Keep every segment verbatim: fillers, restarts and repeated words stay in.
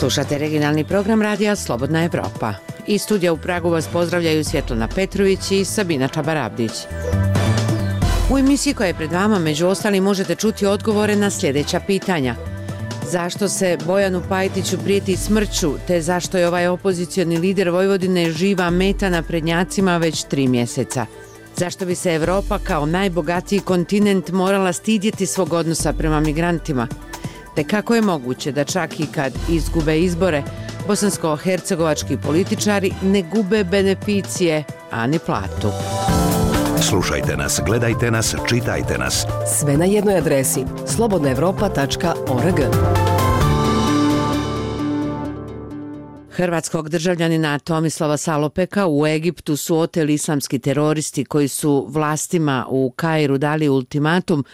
Slušate regionalni program radija Slobodna Evropa. Iz studija u Pragu vas pozdravljaju Svjetlana Petrović i Sabina Čabarabdić. U emisiji koja je pred vama, među ostalim, možete čuti odgovore na sljedeća pitanja. Zašto se Bojanu Pajtiću prijeti smrću, te zašto je ovaj opozicioni lider Vojvodine živa meta na prednjacima već tri mjeseca? Zašto bi se Evropa kao najbogatiji kontinent morala stidjeti svog odnosa prema migrantima? Te kako je moguće da čak i kad izgube izbore, bosansko-hercegovački političari ne gube beneficije, a ni platu? Slušajte nas, gledajte nas, čitajte nas. Sve na jednoj adresi slobodna evropa tačka org. Hrvatskog državljanina Tomislava Salopeka u Egiptu su oteli islamski teroristi koji su vlastima u Kairu dali ultimatum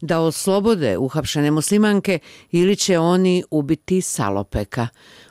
da oslobode uhapšene muslimanke ili će oni ubiti Salopeka.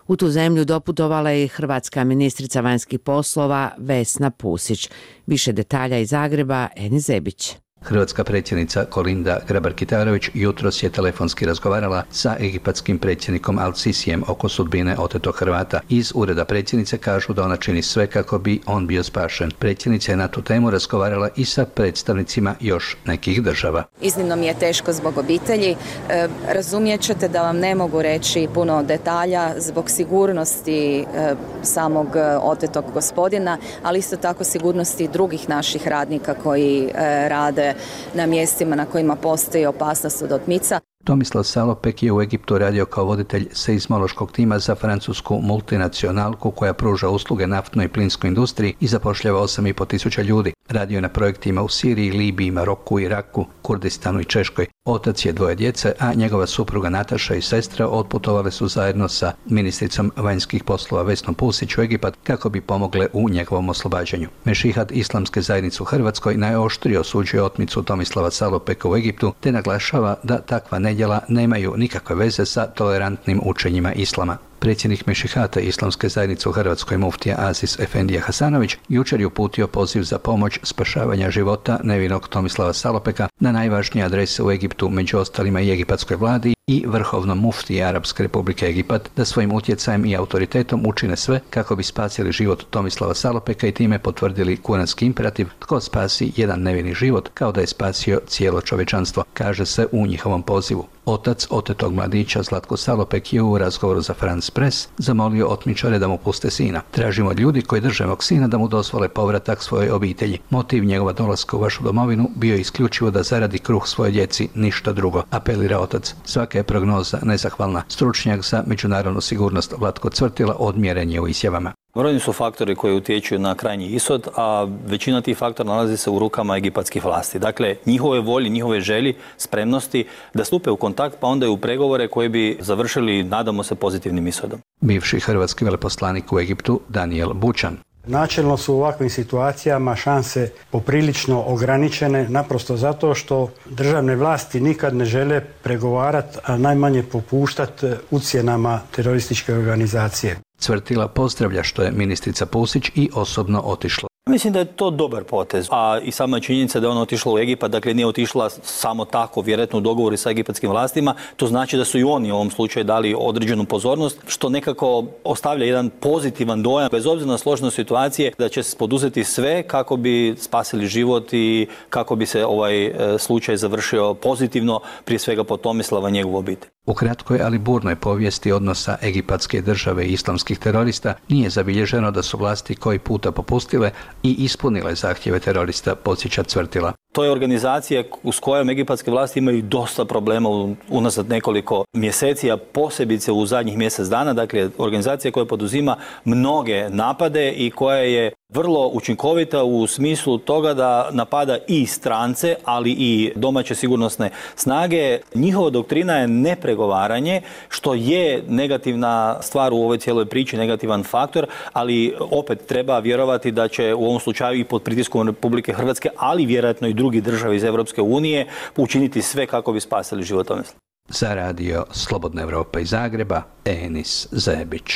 U tu zemlju doputovala je i hrvatska ministrica vanjskih poslova Vesna Pusić. Više detalja iz Zagreba, Eni Zebić. Hrvatska predsjednica Kolinda Grabar-Kitarović jutros je telefonski razgovarala sa egipatskim predsjednikom Al-Sisijem oko sudbine otetog Hrvata. Iz ureda predsjednice kažu da ona čini sve kako bi on bio spašen. Predsjednica je na tu temu razgovarala i sa predstavnicima još nekih država. Iznimno mi je teško zbog obitelji. E, razumijet ćete da vam ne mogu reći puno detalja zbog sigurnosti e, samog otetog gospodina, ali isto tako sigurnosti drugih naših radnika koji e, rade na mjestima na kojima postoji opasnost od otmica. Tomislav Salopek je u Egiptu radio kao voditelj seizmološkog tima za francusku multinacionalku koja pruža usluge naftnoj i plinskoj industriji i zapošljava osam i pol tisuća ljudi. Radio je na projektima u Siriji, Libiji, Maroku, Iraku, Kurdistanu i Češkoj. Otac je dvoje djece, a njegova supruga Nataša i sestra otputovale su zajedno sa ministricom vanjskih poslova Vesnom Pusić u Egipat kako bi pomogle u njegovom oslobađanju. Mešihat Islamske zajednice u Hrvatskoj najoštrije osuđuje otmicu Tomislava Salopeka u Egiptu te naglašava da takva nedjela nemaju nikakve veze sa tolerantnim učenjima islama. Predsjednik Mešihata Islamske zajednice u Hrvatskoj muftija Aziz Efendija Hasanović jučer je uputio poziv za pomoć spašavanja života nevinog Tomislava Salopeka na najvažnije adrese u Egiptu, među ostalima i egipatskoj vladi i vrhovnom muftiji Arapske republike Egipat, da svojim utjecajem i autoritetom učine sve kako bi spasili život Tomislava Salopeka i time potvrdili kuranski imperativ tko spasi jedan nevini život kao da je spasio cijelo čovječanstvo, kaže se u njihovom pozivu. Otac otetog mladića Zlatko Salopek je u razgovoru za France Press zamolio otmičare da mu puste sina. Tražimo od ljudi koji drže mog sina da mu dozvole povratak svojoj obitelji. Motiv njegova dolaska u vašu domovinu bio je isključivo da zaradi kruh svoje djeci, ništa drugo, apelira otac. Svaka je prognoza nezahvalna. Stručnjak za međunarodnu sigurnost Vlatko Cvrtila odmjeren je u izjavama. Brojni su faktori koji utječu na krajnji ishod, a većina tih faktora nalazi se u rukama egipatskih vlasti. Dakle, njihove volje, njihove želji, spremnosti da stupe u kontakt pa onda i u pregovore koji bi završili, nadamo se, pozitivnim ishodom. Bivši hrvatski veleposlanik u Egiptu Daniel Bučan. Načelno su u ovakvim situacijama šanse poprilično ograničene, naprosto zato što državne vlasti nikad ne žele pregovarati, a najmanje popuštati ucjenama terorističke organizacije. Cvrtila pozdravlja što je ministrica Pusić i osobno otišla. Mislim da je to dobar potez, a i sama činjenica da je ona otišla u Egipat, dakle nije otišla samo tako, vjerojatno u dogovoru sa egipatskim vlastima, to znači da su i oni u ovom slučaju dali određenu pozornost, što nekako ostavlja jedan pozitivan dojam, bez obzira na složenost situacije, da će se poduzeti sve kako bi spasili život i kako bi se ovaj slučaj završio pozitivno, prije svega po Tomislava i njegovu obitelj. U kratkoj, ali burnoj povijesti odnosa egipatske države i islamskih terorista nije zabilježeno da su vlasti koji puta popustile i ispunile zahtjeve terorista, podsjeća Cvrtila. To je organizacija s kojom egipatske vlasti imaju dosta problema unazad nekoliko mjeseci, a posebice u zadnjih mjesec dana. Dakle, organizacija koja poduzima mnoge napade i koja je vrlo učinkovita u smislu toga da napada i strance, ali i domaće sigurnosne snage. Njihova doktrina je nepregovaranje, što je negativna stvar u ovoj cijeloj priči, negativan faktor, ali opet treba vjerovati da će u ovom slučaju i pod pritiskom Republike Hrvatske, ali vjerojatno i drugi države iz Europske unije učiniti sve kako bi spasili život Tomislava. Za radio Slobodna Evropa iz Zagreba, Enis Zebić.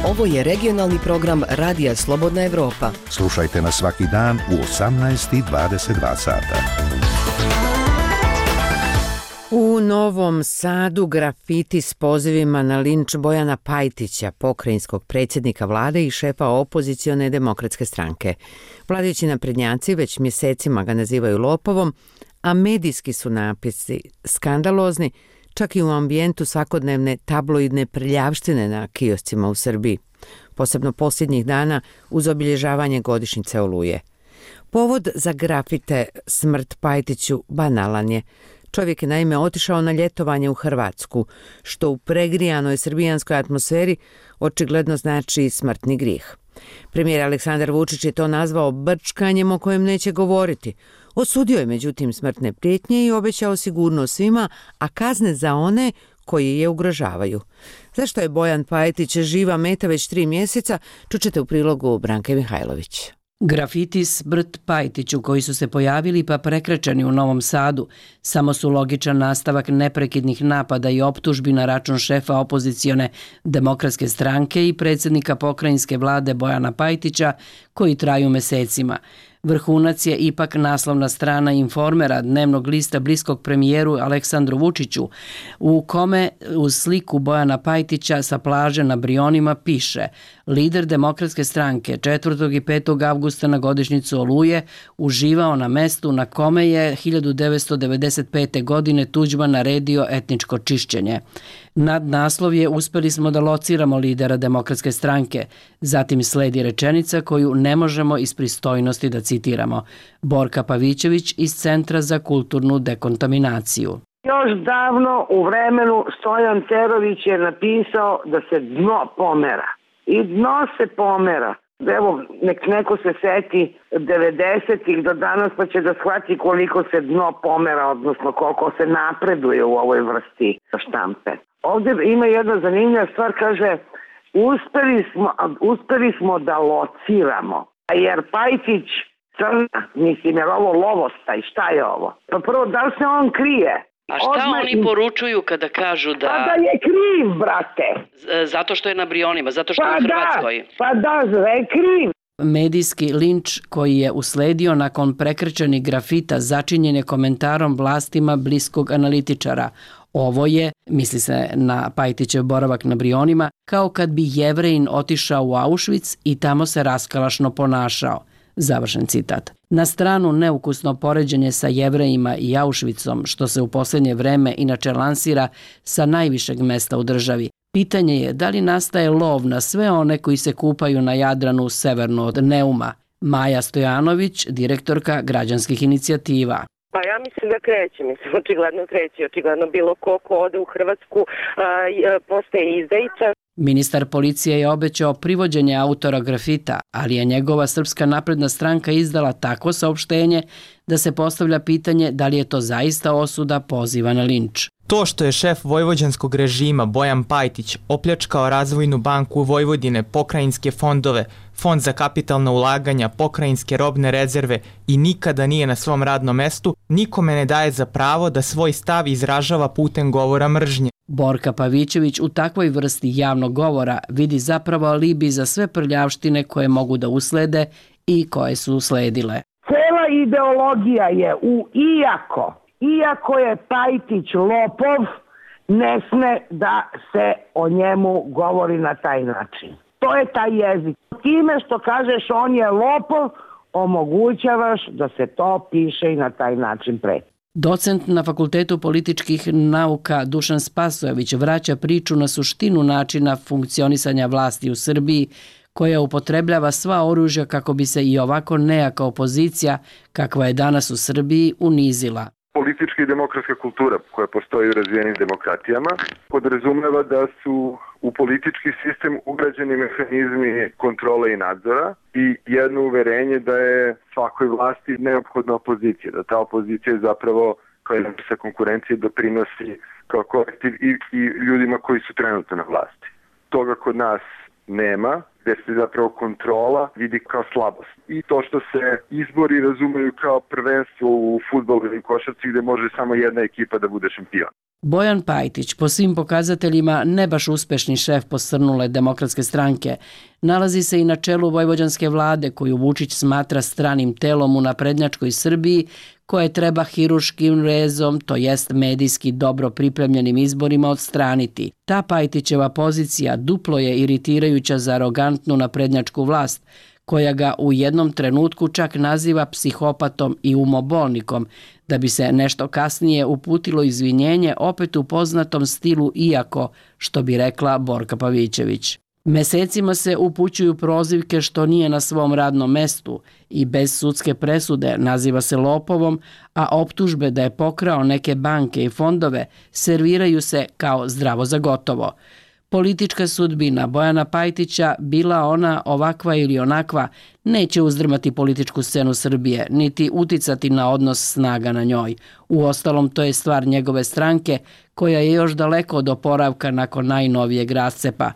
Ovo je regionalni program Radija Slobodna Evropa. Slušajte nas svaki dan u osamnaest i dvadeset dva sata. U Novom Sadu grafiti s pozivima na linč Bojana Pajtića, pokrajinskog predsjednika vlade i šefa opozicione demokratske stranke. Vladajući naprednjaci već mjesecima ga nazivaju lopovom, a medijski su napisi skandalozni, čak i u ambijentu svakodnevne tabloidne prljavštine na kioscima u Srbiji, posebno posljednjih dana uz obilježavanje godišnjice Oluje. Povod za grafite Smrt Pajtiću banalan je. Čovjek je naime otišao na ljetovanje u Hrvatsku, što u pregrijanoj srbijanskoj atmosferi očigledno znači smrtni grijeh. Premijer Aleksandar Vučić je to nazvao brčkanjem o kojem neće govoriti. Osudio je međutim smrtne prijetnje i obećao sigurnost svima, a kazne za one koji je ugrožavaju. Zašto je Bojan Pajtić živa meta već tri mjeseca, čućete u prilogu Branke Mihajlović. Grafiti Smrt Pajtiću koji su se pojavili pa prekrečeni u Novom Sadu samo su logičan nastavak neprekidnih napada i optužbi na račun šefa opozicione demokratske stranke i predsjednika pokrajinske vlade Bojana Pajtića koji traju mesecima. Vrhunac je ipak naslovna strana Informera, dnevnog lista bliskog premijeru Aleksandru Vučiću, u kome uz sliku Bojana Pajtića sa plaže na Brionima piše: lider demokratske stranke četvrtog i petog avgusta na godišnjicu Oluje uživao na mestu na kome je hiljadu devetsto devedeset pete. godine Tuđman naredio etničko čišćenje. Nad naslov je uspjeli smo da lociramo lidera demokratske stranke. Zatim sledi rečenica koju ne možemo iz pristojnosti da citiramo. Borka Pavićević iz Centra za kulturnu dekontaminaciju. Još davno u vremenu Stojan Cerović je napisao da se dno pomera. I dno se pomera. Evo, nek neko se seti devedesetih do danas pa će da shvati koliko se dno pomera, odnosno koliko se napreduje u ovoj vrsti štampe. Ovdje ima jedna zanimljiva stvar, kaže, uspeli smo, uspeli smo da lociramo. Jer Pajtić crna, mislim, jer ovo lovostaj, šta je ovo? Pa prvo, da li se on krije? A šta Odmah oni im... poručuju kada kažu da... Pa da je kriv, brate. Zato što je na Brionima, zato što pa je u Hrvatskoj. Da, pa da, da je kriv. Medijski linč koji je usledio nakon prekrečenih grafita začinjen je komentarom vlastima bliskog analitičara. Ovo je, misli se na Pajtićev boravak na Brionima, kao kad bi Jevrejin otišao u Auschwitz i tamo se raskalašno ponašao. Završen citat. Na stranu neukusno poređenje sa Jevrejima i Auschwitzom, što se u posljednje vreme inače lansira sa najvišeg mesta u državi. Pitanje je da li nastaje lov na sve one koji se kupaju na Jadranu severno od Neuma. Maja Stojanović, direktorka građanskih inicijativa. Pa ja mislim da kreće, mislim, očigledno kreće, očigledno bilo ko ko ode u Hrvatsku a, postaje izdajica. Ministar policije je obećao privođenje autora grafita, ali je njegova Srpska napredna stranka izdala takvo saopštenje da se postavlja pitanje da li je to zaista osuda poziva na linč. To što je šef vojvođanskog režima Bojan Pajtić opljačkao Razvojnu banku Vojvodine, pokrajinske fondove, Fond za kapitalna ulaganja, pokrajinske robne rezerve i nikada nije na svom radnom mestu, nikome ne daje za pravo da svoj stav izražava putem govora mržnje. Borka Pavićević u takvoj vrsti javnog govora vidi zapravo alibi za sve prljavštine koje mogu da uslede i koje su usledile. Cela ideologija je u iako, iako je Pajtić lopov, ne sme da se o njemu govori na taj način. To je taj jezik. Time što kažeš on je lopov, omogućavaš da se to piše i na taj način preti. Docent na Fakultetu političkih nauka Dušan Spasojević vraća priču na suštinu načina funkcionisanja vlasti u Srbiji, koja upotrebljava sva oružja kako bi se i ovako nejaka opozicija, kakva je danas u Srbiji, unizila. Politička i demokratska kultura koja postoji u razvijenim demokratijama podrazumeva da su u politički sistem ugrađeni mehanizmi kontrole i nadzora i jedno uverenje da je svakoj vlasti neophodna opozicija, da ta opozicija zapravo kao jedna vrsta konkurencije doprinosi kao kolektiv i, i ljudima koji su trenutno na vlasti. Toga kod nas nema, gdje se zapravo kontrola vidi kao slabost. I to što se izbori razumeju kao prvenstvo u fudbalu ili košarci gdje može samo jedna ekipa da bude šampion. Bojan Pajtić, po svim pokazateljima ne baš uspešni šef posrnule Demokratske stranke, nalazi se i na čelu vojvođanske vlade koju Vučić smatra stranim telom u naprednjačkoj Srbiji koje treba hiruškim rezom, to jest medijski dobro pripremljenim izborima odstraniti. Ta Pajtićeva pozicija duplo je iritirajuća za arogantnu naprednjačku vlast, koja ga u jednom trenutku čak naziva psihopatom i umobolnikom, da bi se nešto kasnije uputilo izvinjenje opet u poznatom stilu iako, što bi rekla Borka Pavićević. Mesecima se upućuju prozivke što nije na svom radnom mestu i bez sudske presude naziva se lopovom, a optužbe da je pokrao neke banke i fondove serviraju se kao zdravo za gotovo. Politička sudbina Bojana Pajtića, bila ona ovakva ili onakva, neće uzdrmati političku scenu Srbije, niti uticati na odnos snaga na njoj. Uostalom, to je stvar njegove stranke, koja je još daleko od oporavka nakon najnovijeg rascepa.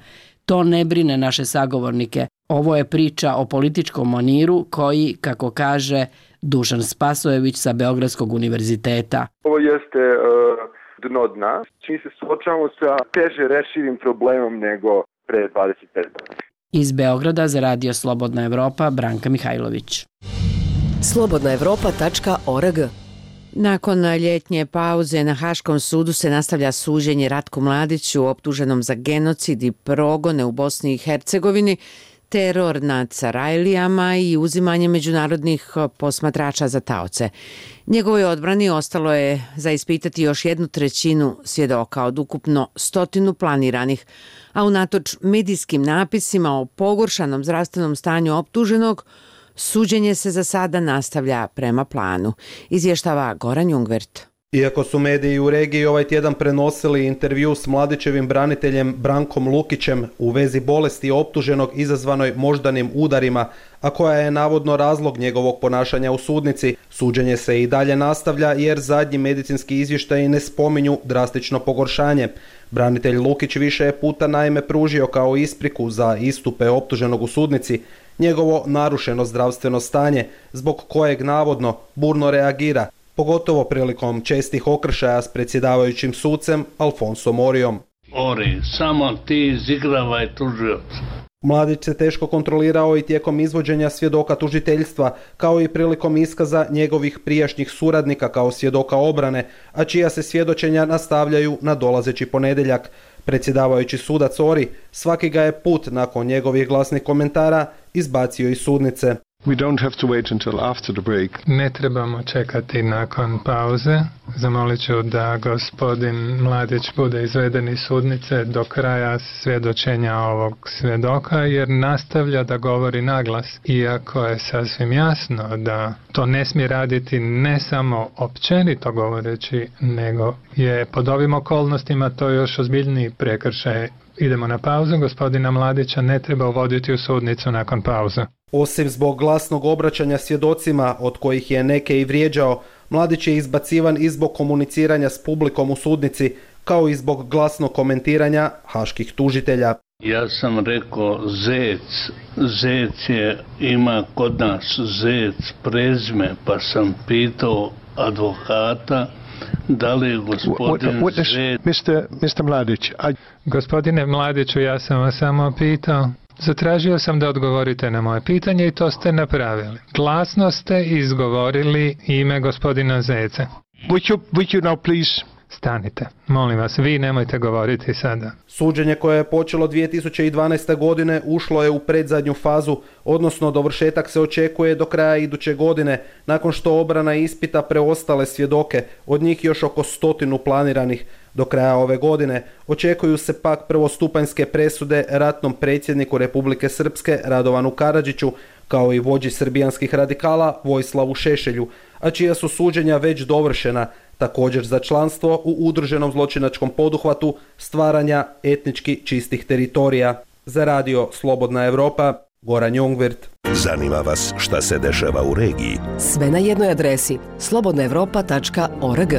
To ne brine naše sagovornike. Ovo je priča o političkom maniru koji, kako kaže Dušan Spasojević sa Beogradskog univerziteta. Ovo jeste uh, dno dna. Mi se suočavamo sa teže rešivim problemom nego pre dvadeset pet godina. Iz Beograda za Radio Slobodna Evropa, Branka Mihajlović. slobodna evropa tačka org. Nakon ljetnje pauze na Haškom sudu se nastavlja suđenje Ratku Mladiću, optuženom za genocid i progone u Bosni i Hercegovini, teror nad Sarajlijama i uzimanje međunarodnih posmatrača za taoce. Njegovoj odbrani ostalo je za ispitati još jednu trećinu svjedoka od ukupno stotinu planiranih, a unatoč medijskim napisima o pogoršanom zdravstvenom stanju optuženog, suđenje se za sada nastavlja prema planu, izvještava Goran Jungvert. Iako su mediji u regiji ovaj tjedan prenosili intervju s Mladićevim braniteljem Brankom Lukićem u vezi bolesti optuženog izazvanoj moždanim udarima, a koja je navodno razlog njegovog ponašanja u sudnici, suđenje se i dalje nastavlja jer zadnji medicinski izvještaji ne spominju drastično pogoršanje. Branitelj Lukić više je puta naime pružio kao ispriku za istupe optuženog u sudnici njegovo narušeno zdravstveno stanje, zbog kojeg navodno burno reagira, pogotovo prilikom čestih okršaja s predsjedavajućim sucem Alfonso Morijom. Ori, samo ti izigravaj tužioc. Mladić se teško kontrolirao i tijekom izvođenja svjedoka tužiteljstva, kao i prilikom iskaza njegovih prijašnjih suradnika kao svjedoka obrane, a čija se svjedočenja nastavljaju na dolazeći ponedjeljak. Predsjedavajući sudac Ori svaki ga je put nakon njegovih glasnih komentara izbacio iz sudnice. We don't have to wait until after the break. Ne trebamo čekati nakon pauze. Zamolit ću da gospodin Mladić bude izveden iz sudnice do kraja svjedočenja ovog svjedoka, jer nastavlja da govori naglas. Iako je sasvim jasno da to ne smije raditi ne samo općenito govoreći, nego je pod ovim okolnostima to još ozbiljniji prekršaj. Idemo na pauzu, gospodina Mladića ne treba uvoditi u sudnicu nakon pauze. Osim zbog glasnog obraćanja svjedocima, od kojih je neke i vrijeđao, Mladić je izbacivan i zbog komuniciranja s publikom u sudnici, kao i zbog glasnog komentiranja haških tužitelja. Ja sam rekao Zec, Zec je, ima kod nas Zec prezime, pa sam pitao advokata da li je gospodin what, what is, Zec... mister mister Mladić, I... Gospodine Mladiću, ja sam vas samo pitao. Zatražio sam da odgovorite na moje pitanje i to ste napravili. Glasno ste izgovorili ime gospodina Zeca. Would you, would you now please... Stanite, molim vas, vi nemojte govoriti sada. Suđenje koje je počelo dvije tisuće dvanaeste. godine ušlo je u predzadnju fazu, odnosno dovršetak se očekuje do kraja iduće godine, nakon što obrana ispita preostale svjedoke, od njih još oko stotinu planiranih. Do kraja ove godine očekuju se pak prvostupanjske presude ratnom predsjedniku Republike Srpske Radovanu Karadžiću, kao i vođi srbijanskih radikala Vojislavu Šešelju, a čija su suđenja već dovršena, također za članstvo u udruženom zločinačkom poduhvatu stvaranja etnički čistih teritorija. Za Radio Slobodna Evropa, Goran Jungvert. Zanima vas šta se dešava u regiji? Sve na jednoj adresi slobodna evropa tačka org.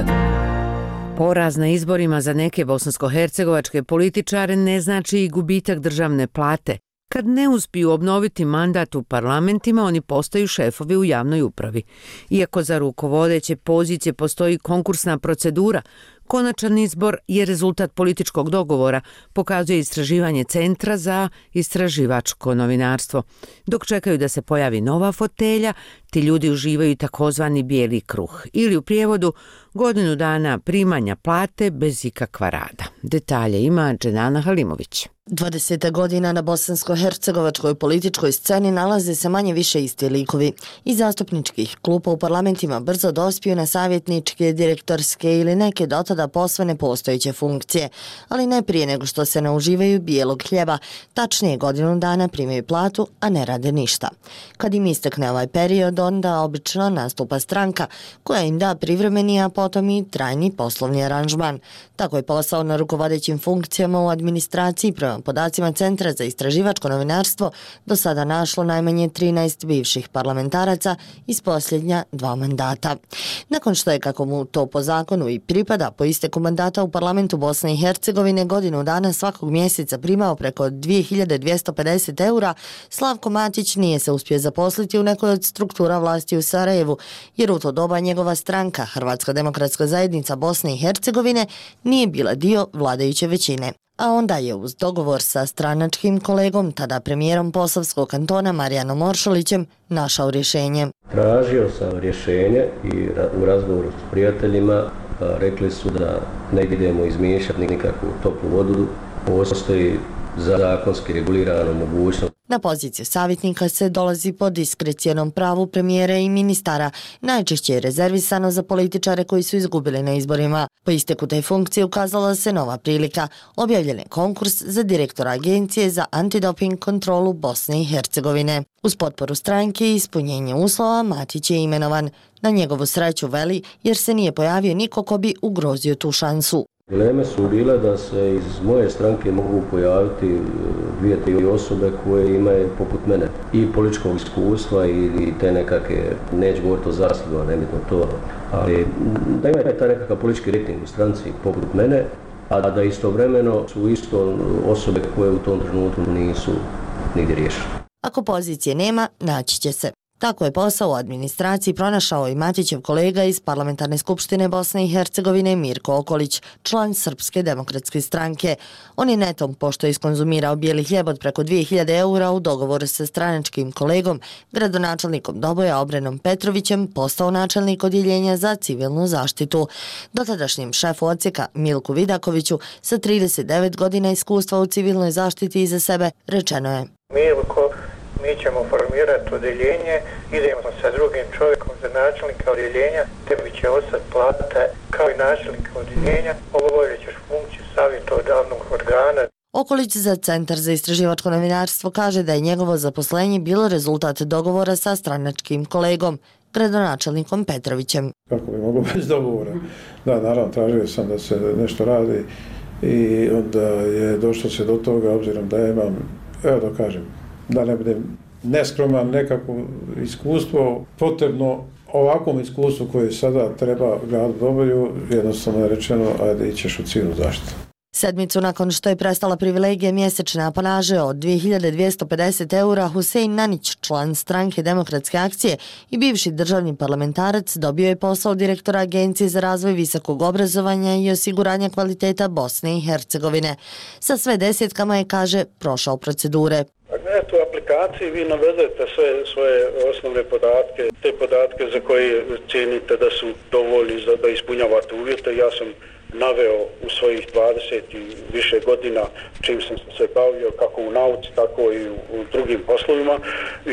Poraz na izborima za neke bosansko-hercegovačke političare ne znači i gubitak državne plate. Kad ne uspiju obnoviti mandat u parlamentima, oni postaju šefovi u javnoj upravi. Iako za rukovodeće pozicije postoji konkursna procedura Konačan izbor je rezultat političkog dogovora, pokazuje istraživanje Centra za istraživačko novinarstvo. Dok čekaju da se pojavi nova fotelja, ti ljudi uživaju takozvani bijeli kruh ili u prijevodu godinu dana primanja plate bez ikakva rada. Detalje ima Dženana Halimović. dvadeset godina na bosansko-hercegovačkoj političkoj sceni nalaze se manje više isti likovi. Iz zastupničkih klupa u parlamentima brzo dospiju na savjetničke, direktorske ili neke dotada posve nepostojeće funkcije, ali ne prije nego što se nauživaju bijelog hljeba, tačnije godinu dana primaju platu, a ne rade ništa. Kad im istekne ovaj period, onda obično nastupa stranka koja im da privremeni, a potom i trajni poslovni aranžman. Tako je posao na rukovodećim funkcijama u administraciji prema podacima Centra za istraživačko novinarstvo do sada našlo najmanje trinaest bivših parlamentaraca iz posljednja dva mandata. Nakon što je, kako mu to po zakonu i pripada, po isteku mandata u parlamentu Bosne i Hercegovine godinu dana svakog mjeseca primao preko dvije hiljade dvjesto pedeset eura, Slavko Matić nije se uspio zaposliti u nekoj od struktura vlasti u Sarajevu, jer u to doba njegova stranka, Hrvatska demokratska zajednica Bosne i Hercegovine, nije bila dio vladajuće većine. A onda je uz dogovor sa stranačkim kolegom, tada premijerom Posavskog kantona Marijanom Oršolićem, našao rješenje. Tražio sam rješenje i u razgovoru s prijateljima rekli su da ne idemo izmiješati nikakvu toplu vodu, postoji zakonski regulirana mogućnost. Na poziciju savjetnika se dolazi po diskrecijonom pravu premijera i ministara, najčešće je rezervisano za političare koji su izgubili na izborima. Po isteku te funkcije ukazala se nova prilika. Objavljen je konkurs za direktora Agencije za antidoping kontrolu Bosne i Hercegovine. Uz potporu stranke i ispunjenje uslova Matić je imenovan. Na njegovu sreću veli, jer se nije pojavio niko ko bi ugrozio tu šansu. Dileme su bile da se iz moje stranke mogu pojaviti dvije, tri osobe koje imaju poput mene i političkog iskustva i te nekakve, neću govoriti o zaslugama, nebitno to, ali da imaju taj nekakav politički rating u stranci poput mene, a da istovremeno su isto osobe koje u tom trenutku nisu nigdje riješene. Ako pozicije nema, naći će se. Tako je posao u administraciji pronašao i Matićev kolega iz Parlamentarne skupštine Bosne i Hercegovine Mirko Okolić, član Srpske demokratske stranke. On je netom, pošto je iskonzumirao bijeli hljeb od preko dvije hiljade eura u dogovoru sa stranačkim kolegom, gradonačelnikom Doboja Obrenom Petrovićem, postao načelnik odjeljenja za civilnu zaštitu. Dotadašnjem šefu odsjeka Milku Vidakoviću sa trideset devet godina iskustva u civilnoj zaštiti iza sebe rečeno je: Milko, mi ćemo formirati odjeljenje, idemo sa drugim čovjekom za načelnika odjeljenja, tebi će ostati plata kao i načelnika odjeljenja, obavljat ćeš funkciju savjetodavnog organa. Okolić za Centar za istraživačko novinarstvo kaže da je njegovo zaposlenje bilo rezultat dogovora sa stranačkim kolegom, gradonačelnikom Petrovićem. Kako bi moglo bez dogovora? Da, naravno, tražio sam da se nešto radi i onda je došlo se do toga, obzirom da imam, evo da kažem, da ne budem neskroman, nekako iskustvo, potrebno ovakvom iskustvu koje sada treba gradu Doboju, jednostavno je rečeno, ajde ićeš u civilnu zaštitu. Sedmicu nakon što je prestala privilegija mjesečne apanaže od dvije hiljade dvjesto pedeset eura, Husein Nanić, član stranke Demokratske akcije i bivši državni parlamentarac, dobio je posao direktora Agencije za razvoj visokog obrazovanja i osiguranja kvaliteta Bosne i Hercegovine. Sa sve desetkama je, kaže, prošao procedure. U aplikaciji vi navedete sve svoje osnovne podatke, te podatke za koje cijenite da su dovoljni za da ispunjavate uvjete. Ja sam naveo u svojih dvadeset i više godina čim sam se bavio kako u nauci, tako i u drugim poslovima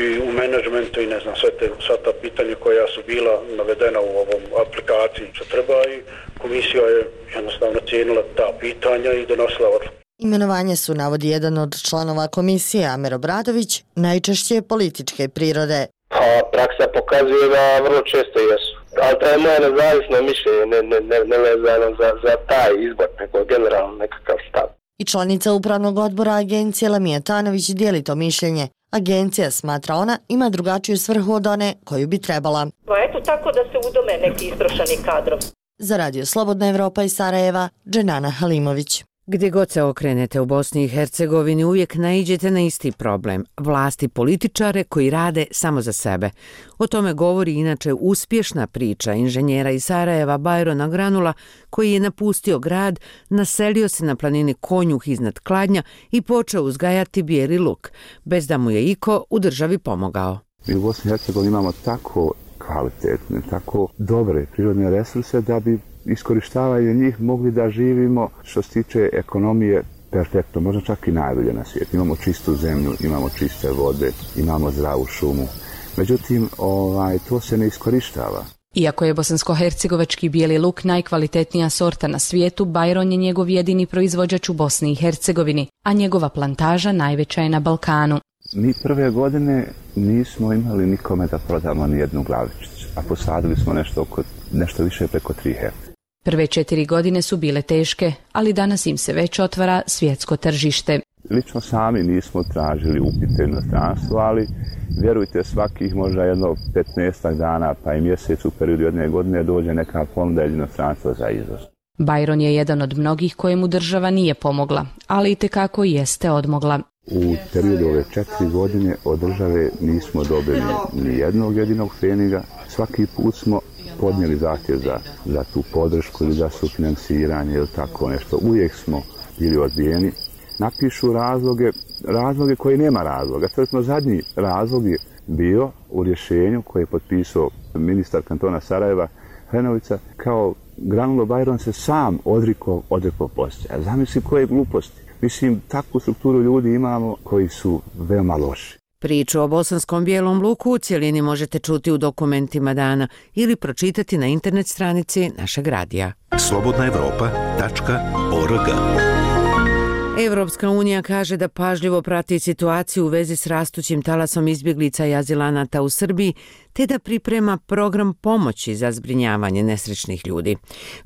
i u menadžmentu i ne znam sve, te, sve ta pitanja koja su bila navedena u ovom aplikaciji što treba i komisija je jednostavno cijenila ta pitanja i donosila odluku. Imenovanje su, navodi jedan od članova komisije, Amer Obradović, najčešće političke prirode. Pa praksa pokazuje da vrlo često jesu. Ali to je moje nezavisno mišljenje, ne, ne, ne, ne vezano za, za taj izbor, nego generalno nekakav stav. I članica upravnog odbora agencije Lamija Tanović dijeli to mišljenje. Agencija, smatra ona, ima drugačiju svrhu od one koju bi trebala. Pa eto tako da se udome neki istrošeni kadrov. Za Radio Slobodna Evropa iz Sarajeva, Dženana Halimović. Gdje god se okrenete u Bosni i Hercegovini uvijek naiđete na isti problem, vlasti političare koji rade samo za sebe. O tome govori inače uspješna priča inženjera iz Sarajeva Bajrona Granula koji je napustio grad, naselio se na planini Konjuh iznad Kladnja i počeo uzgajati bijeli luk, bez da mu je iko u državi pomogao. Mi u Bosni i Hercegovini imamo tako kvalitetne, tako dobre prirodne resurse da bi iskorištavaju njih mogli da živimo što se tiče ekonomije perfektno, možda čak i najbolje na svijetu. Imamo čistu zemlju, imamo čiste vode, imamo zdravu šumu. Međutim, ovaj, to se ne iskorištava. Iako je bosansko-hercegovački bijeli luk najkvalitetnija sorta na svijetu, Bajron je njegov jedini proizvođač u Bosni i Hercegovini, a njegova plantaža najveća je na Balkanu. Mi prve godine nismo imali nikome da prodamo ni jednu glavičicu, a posadili smo nešto, oko, nešto više preko tri hektra. Prve četiri godine su bile teške, ali danas im se već otvara svjetsko tržište. Lično sami nismo tražili upite u inostranstvo, ali vjerujte, svakih možda jedno petnaestak dana pa i mjesec u periodu jedne godine dođe neka ponuda iz inostranstva za izvoz. Bajron je jedan od mnogih kojemu država nije pomogla, ali itekako jeste odmogla. U periodu ove četiri godine od države nismo dobili ni jednog jedinog pfeniga. Svaki put smo podnijeli zahtjev za, za tu podršku ili za sufinansiranje ili tako nešto. Uvijek smo bili odbijeni. Napišu razloge, razloge koji nema razloga. Tvrdno zadnji razlog je bio u rješenju koje je potpisao ministar kantona Sarajeva Hrenovica, kao Granulo Bajron se sam odrikao, odrekao poslije. Zamisli koje gluposti. Mislim, takvu strukturu ljudi imamo koji su veoma loši. Priču o bosanskom bijelom luku u cjelini možete čuti u dokumentima dana ili pročitati na internet stranici našeg radija. slobodna evropa tačka org. Evropska unija kaže da pažljivo prati situaciju u vezi s rastućim talasom izbjeglica i azilanata u Srbiji, te da priprema program pomoći za zbrinjavanje nesrećnih ljudi.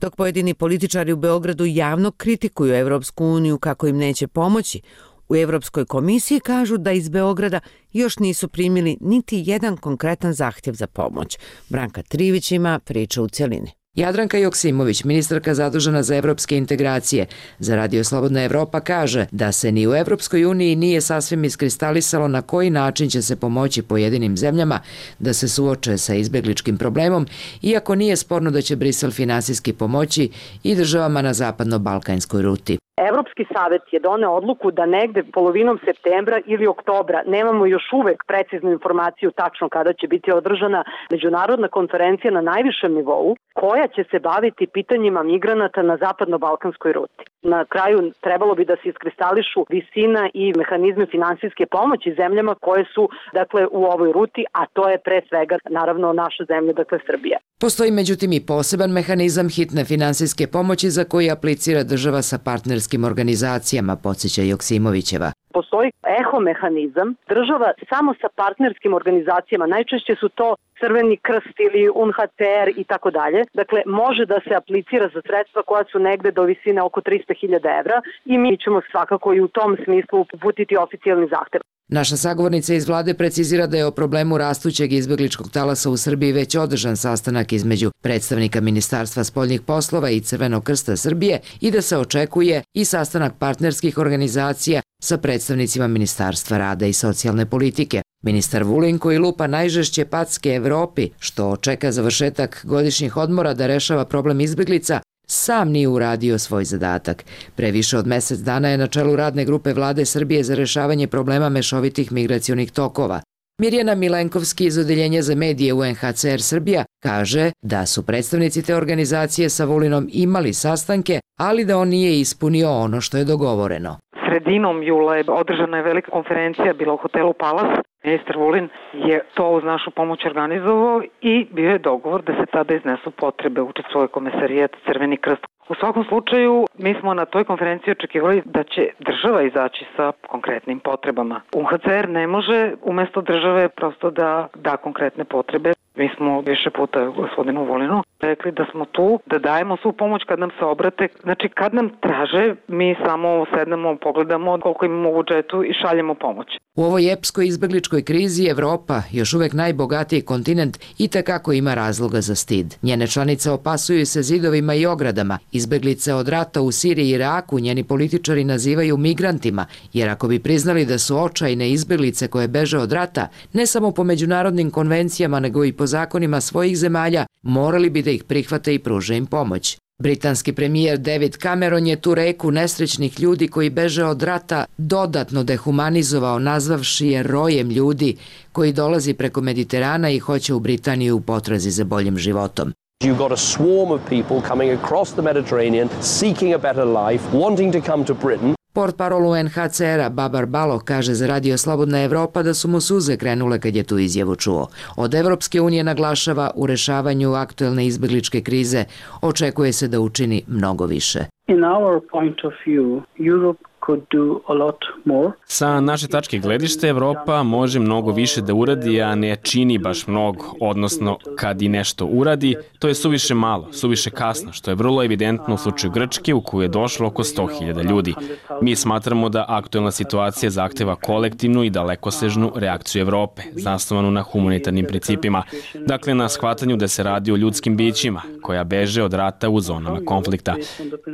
Dok pojedini političari u Beogradu javno kritikuju Evropsku uniju kako im neće pomoći, u Evropskoj komisiji kažu da iz Beograda još nisu primili niti jedan konkretan zahtjev za pomoć. Branka Trivić ima priču u cjelini. Jadranka Joksimović, ministarka zadužena za evropske integracije, za Radio Slobodna Evropa kaže da se ni u Evropskoj uniji nije sasvim iskristalisalo na koji način će se pomoći pojedinim zemljama da se suoče sa izbjegličkim problemom, iako nije sporno da će Brisel finansijski pomoći i državama na zapadno-balkanskoj ruti. Evropski savjet je doneo odluku da negde polovinom septembra ili oktobra, nemamo još uvek preciznu informaciju tačno kada će biti održana međunarodna konferencija na najvišem nivou, koja će se baviti pitanjima migranata na zapadno-balkanskoj ruti. Na kraju trebalo bi da se iskristališu visina i mehanizme finansijske pomoći zemljama koje su dakle u ovoj ruti, a to je pre svega naravno naša zemlja, dakle Srbija. Postoji međutim i poseban mehanizam hitne finansijske pomoći za koji aplicira država sa partnerskim organizacijama, podsjeća Joksimovićeva. Postoji eho mehanizam, država samo sa partnerskim organizacijama, najčešće su to Crveni krst ili U N H C R i tako dalje. Dakle, može da se aplicira za sredstva koja su negde do visine oko tristo hiljada evra i mi ćemo svakako i u tom smislu uputiti oficijalni zahtev. Naša sagovornica iz vlade precizira da je o problemu rastućeg izbjegličkog talasa u Srbiji već održan sastanak između predstavnika Ministarstva spoljnih poslova i Crvenog krsta Srbije i da se očekuje i sastanak partnerskih organizacija sa predstavnicima Ministarstva rada i socijalne politike. Ministar Vulin, koji lupa najžešće packe Evropi, što čeka završetak godišnjih odmora da rešava problem izbjeglica, sam nije uradio svoj zadatak. Pre više od mjesec dana je na čelu radne grupe Vlade Srbije za rešavanje problema mešovitih migracionih tokova. Mirjana Milenkovski iz Odeljenja za medije U N H C R Srbija kaže da su predstavnici te organizacije sa Vulinom imali sastanke, ali da on nije ispunio ono što je dogovoreno. Sredinom jula je održana je velika konferencija, bila u hotelu Palas. Ministar Vulin je to uz našu pomoć organizovao i bio je dogovor da se tada iznesu potrebe, učestvuje komesarijet Crveni krst. U svakom slučaju, mi smo na toj konferenciji očekivali da će država izaći sa konkretnim potrebama. U N H C R ne može umjesto države prosto da da konkretne potrebe. Mi smo više puta gospodinu Vulinu rekli da smo tu, da dajemo svu pomoć kad nam se obrate. Znači kad nam traže, mi samo sednemo, pogledamo koliko imamo u budžetu i šaljemo pomoć. U ovoj epskoj izbegličkoj krizi Evropa, još uvek najbogatiji kontinent, itekako ima razloga za stid. Njene članice opasuju se zidovima i ogradama. Izbeglice od rata u Siriji i Iraku njeni političari nazivaju migrantima, jer ako bi priznali da su očajne izbeglice koje beže od rata, ne samo po međunarodnim konvencijama nego i po zakonima svojih zemalja, morali bi da ih prihvate i pruže im pomoć. Britanski premijer David Cameron je tu reku nesrećnih ljudi koji beže od rata dodatno dehumanizovao, nazvavši je rojem ljudi koji dolazi preko Mediterana i hoće u Britaniju u potrazi za boljim životom. You've got a swarm of people coming across the Mediterranean, seeking a better life, wanting to come to Britain. Portparol U N H C R-a Babar Baloh kaže za Radio Slobodna Evropa da su mu suze krenule kad je tu izjavu čuo. Od Evropske unije naglašava u rešavanju aktuelne izbegličke krize očekuje se da učini mnogo više. In our point of view, Europe could do a lot more. Sa naše tačke gledište, Evropa može mnogo više da uradi, a ne čini baš mnogo, odnosno kad i nešto uradi, to je suviše malo, suviše kasno, što je vrlo evidentno u slučaju Grčke u koju je došlo oko sto hiljada ljudi. Mi smatramo da aktuelna situacija zahteva kolektivnu i dalekosežnu reakciju Evrope, zasnovanu na humanitarnim principima, dakle na shvatanju da se radi o ljudskim bićima koja beže od rata u zonama konflikta.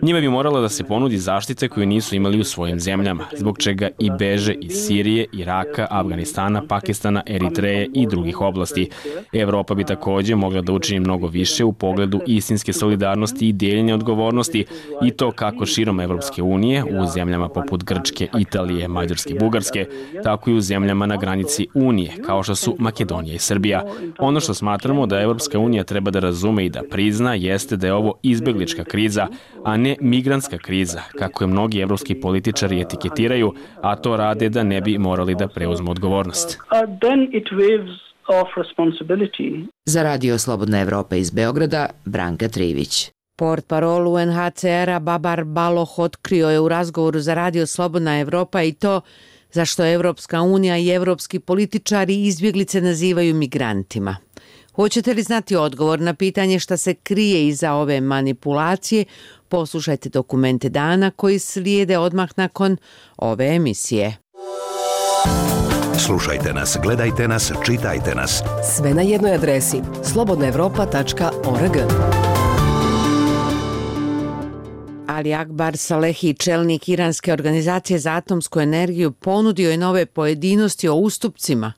Njima bi morala da se ponudi zaštite koju nisu imali u svojim zemljama, zbog čega i beže iz Sirije, Iraka, Afganistana, Pakistana, Eritreje i drugih oblasti. Evropa bi također mogla da učini mnogo više u pogledu istinske solidarnosti i dijeljenja odgovornosti i to kako širom Evropske unije u zemljama poput Grčke, Italije, Mađarske, Bugarske, tako i u zemljama na granici Unije, kao što su Makedonija i Srbija. Ono što smatramo da Evropska unija treba da razume i da prizna jeste da je ovo izbeglička kriza, a ne migrantska kriza, kako je mnogi evropski političari etiketiraju, a to rade da ne bi morali da preuzmu odgovornost. Za Radio Slobodna Evropa iz Beograda, Branka Trivić. Portparol U N H C R-a Babar Baloh otkrio je u razgovoru za Radio Slobodna Evropa i to zašto Evropska unija i evropski političari izbjeglice nazivaju migrantima. Hoćete li znati odgovor na pitanje šta se krije iza ove manipulacije? Poslušajte dokumente dana koji slijede odmah nakon ove emisije. Slušajte nas, gledajte nas, čitajte nas. Sve na jednoj adresi slobodna evropa tačka org. Ali Akbar Salehi, čelnik iranske organizacije za atomsku energiju, ponudio je nove pojedinosti o ustupcima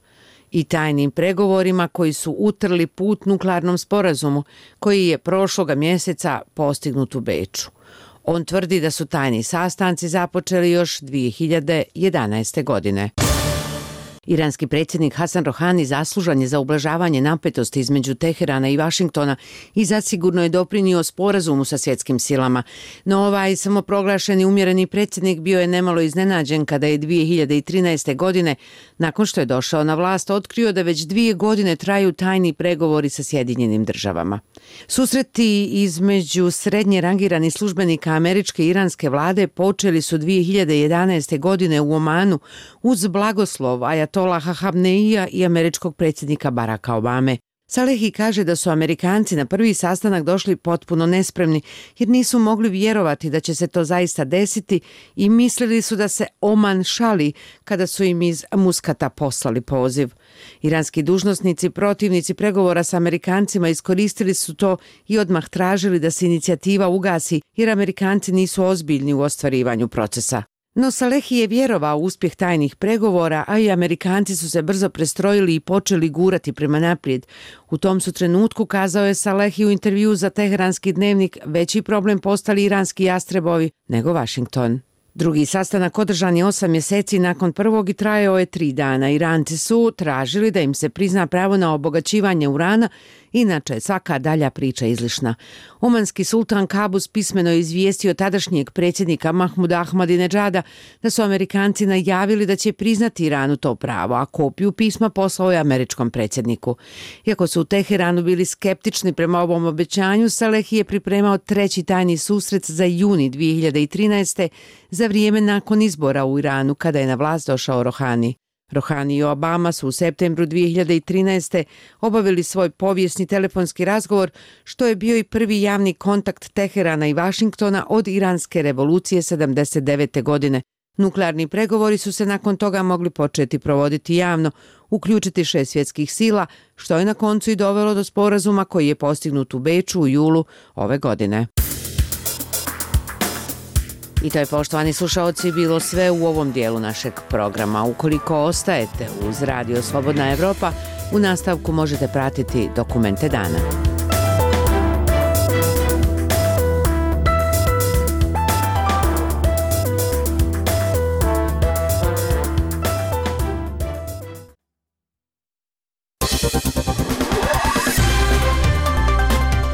i tajnim pregovorima koji su utrli put nuklearnom sporazumu koji je prošloga mjeseca postignut u Beču. On tvrdi da su tajni sastanci započeli još dvije hiljade jedanaeste. godine. Iranski predsjednik Hasan Rohani zaslužan je za ublažavanje napetosti između Teherana i Vašingtona i zasigurno je doprinio sporazumu sa svjetskim silama. No ovaj samoproglašeni umjereni predsjednik bio je nemalo iznenađen kada je dvije hiljade trinaeste. godine, nakon što je došao na vlast, otkrio da već dvije godine traju tajni pregovori sa Sjedinjenim državama. Susreti između srednje rangiranih službenika američke i iranske vlade počeli su dvije hiljade jedanaeste. godine u Omanu uz blagoslov Ajatolaha Hamneija i američkog predsjednika Baracka Obame. Salehi kaže da su Amerikanci na prvi sastanak došli potpuno nespremni jer nisu mogli vjerovati da će se to zaista desiti i mislili su da se Oman šali kada su im iz Muskata poslali poziv. Iranski dužnosnici, protivnici pregovora sa Amerikancima iskoristili su to i odmah tražili da se inicijativa ugasi jer Amerikanci nisu ozbiljni u ostvarivanju procesa. No Salehi je vjerovao u uspjeh tajnih pregovora, a i Amerikanci su se brzo prestrojili i počeli gurati prema naprijed. U tom su trenutku, kazao je Salehi u intervju za Teheranski dnevnik, veći problem postali iranski jastrebovi nego Washington. Drugi sastanak održan je osam mjeseci nakon prvog i trajao je tri dana. Iranci su tražili da im se prizna pravo na obogaćivanje urana, inače je svaka dalja priča izlišna. Omanski sultan Kabus pismeno je izvijestio tadašnjeg predsjednika Mahmuda Ahmadinedžada da su Amerikanci najavili da će priznati Iranu to pravo, a kopiju pisma poslao je američkom predsjedniku. Iako su u Teheranu bili skeptični prema ovom obećanju, Salehi je pripremao treći tajni susret za juni dvije hiljade trinaeste. za vrijeme nakon izbora u Iranu kada je na vlast došao Rohani. Rohani i Obama su u septembru dvije hiljade trinaeste. obavili svoj povijesni telefonski razgovor, što je bio i prvi javni kontakt Teherana i Vašingtona od iranske revolucije sedamdeset devete. godine. Nuklearni pregovori su se nakon toga mogli početi provoditi javno, uključiti šest svjetskih sila, što je na koncu i dovelo do sporazuma koji je postignut u Beču u julu ove godine. I to je, poštovani slušaoci, bilo sve u ovom dijelu našeg programa. Ukoliko ostajete uz Radio Slobodna Evropa, u nastavku možete pratiti dokumente dana.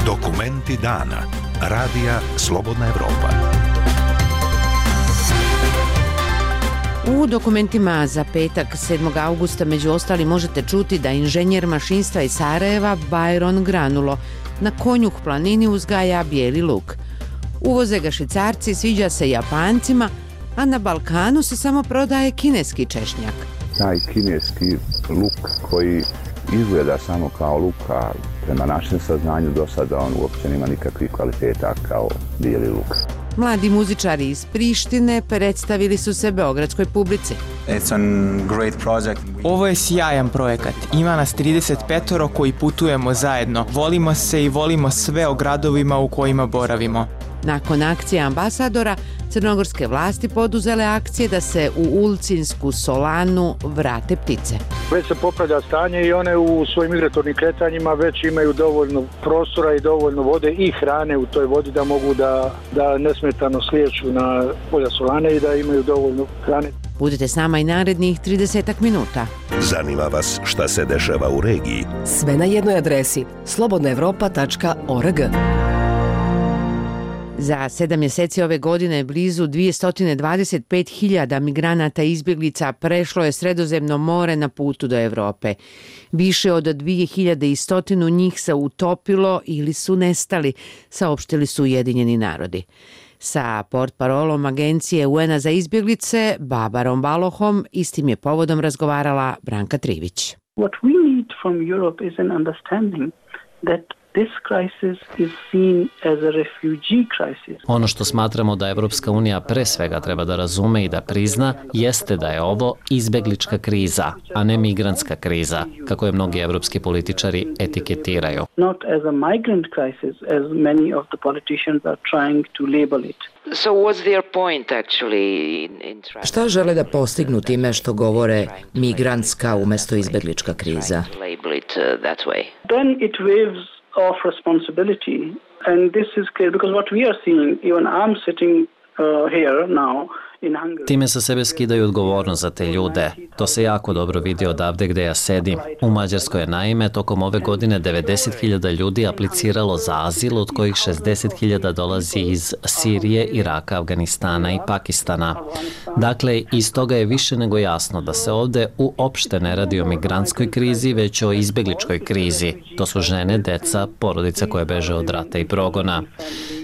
Dokumenti dana. Radija Slobodna Evropa. U dokumentima za petak sedmog avgusta među ostali možete čuti da inženjer mašinstva iz Sarajeva Byron Granulo na Konjuh planini uzgaja bijeli luk. Uvoze ga Švicarci, sviđa se Japancima, a na Balkanu se samo prodaje kineski češnjak. Taj kineski luk koji izgleda samo kao luk, a prema našem saznanju do sada on uopće nema nikakvih kvaliteta kao bijeli luk. Mladi muzičari iz Prištine predstavili su se beogradskoj publici. Ovo je sjajan projekat. Ima nas trideset petoro koji putujemo zajedno. Volimo se i volimo sve o gradovima u kojima boravimo. Nakon akcije ambasadora, crnogorske vlasti poduzele akcije da se u Ulcinsku solanu vrate ptice. Već se popravlja stanje i one u svojim migratornim kretanjima već imaju dovoljno prostora i dovoljno vode i hrane u toj vodi da mogu da, da nesmetano slijeću na polja solane i da imaju dovoljno hrane. Budite s nama i narednih trideset minuta. Zanima vas šta se dešava u regiji? Sve na jednoj adresi slobodna evropa tačka org. Za sedam mjeseci ove godine blizu dvjesto dvadeset pet hiljada migranata i izbjeglica prešlo je Sredozemno more na putu do Evrope. Više od dvije hiljade sto njih se utopilo ili su nestali, saopštili su Ujedinjeni narodi. Sa portparolom agencije U N a za izbjeglice, Babarom Balohom, istim je povodom razgovarala Branka Trivić. What we need from Europe is an understanding that this crisis is seen as a refugee crisis. Ono što smatramo da Evropska unija pre svega treba da razume i da prizna jeste da je ovo izbeglička kriza, a ne migrantska kriza, kako je mnogi evropski političari etiketiraju. Not as a migrant crisis as many of the politicians are trying to label it. So what's their point actually in, in Šta žele da postignu time što govore migrantska umjesto izbeglička kriza? label it uh, that way? Then it waves of responsibility, and this is clear because what we are seeing, even I'm sitting uh, here now in Hungary. Time sa sebe skidaju odgovornost za te ljude. To se jako dobro vidi odavde gde ja sedim. U Mađarskoj je naime tokom ove godine devedeset hiljada ljudi apliciralo za azil, od kojih šezdeset hiljada dolazi iz Sirije, Iraka, Afganistana i Pakistana. Dakle, iz toga je više nego jasno da se ovde uopšte ne radi o migrantskoj krizi, već o izbegličkoj krizi. To su žene, deca, porodice koje beže od rata i progona.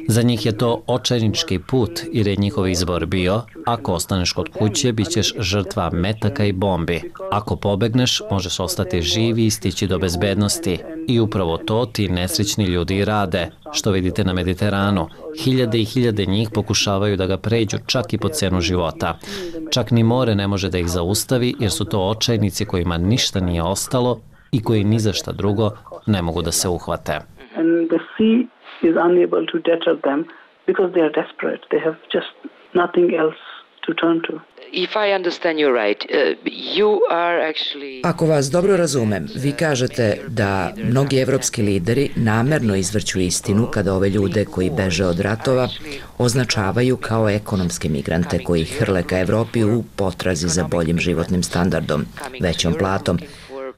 Za njih je to očajnički put, jer je njihov izbor bio: ako ostaneš kod kuće, bit ćeš žrtva metaka i bombi. Ako pobegneš, možeš ostati živi i stići do bezbednosti. I upravo to ti nesrećni ljudi i rade, što vidite na Mediteranu. Hiljade i hiljade njih pokušavaju da ga pređu čak i po cenu života. Čak ni more ne može da ih zaustavi, jer su to očajnici kojima ništa nije ostalo i koji ni za šta drugo ne mogu da se uhvate. And the sea is unable to deter them because they are desperate. They have just nothing else to turn to. If I understand you right, uh, you are actually... Ako vas dobro razumem, vi kažete da mnogi evropski lideri namerno izvrću istinu kada ove ljude koji beže od ratova označavaju kao ekonomske migrante koji hrle ka Evropi u potrazi za boljim životnim standardom, većom platom.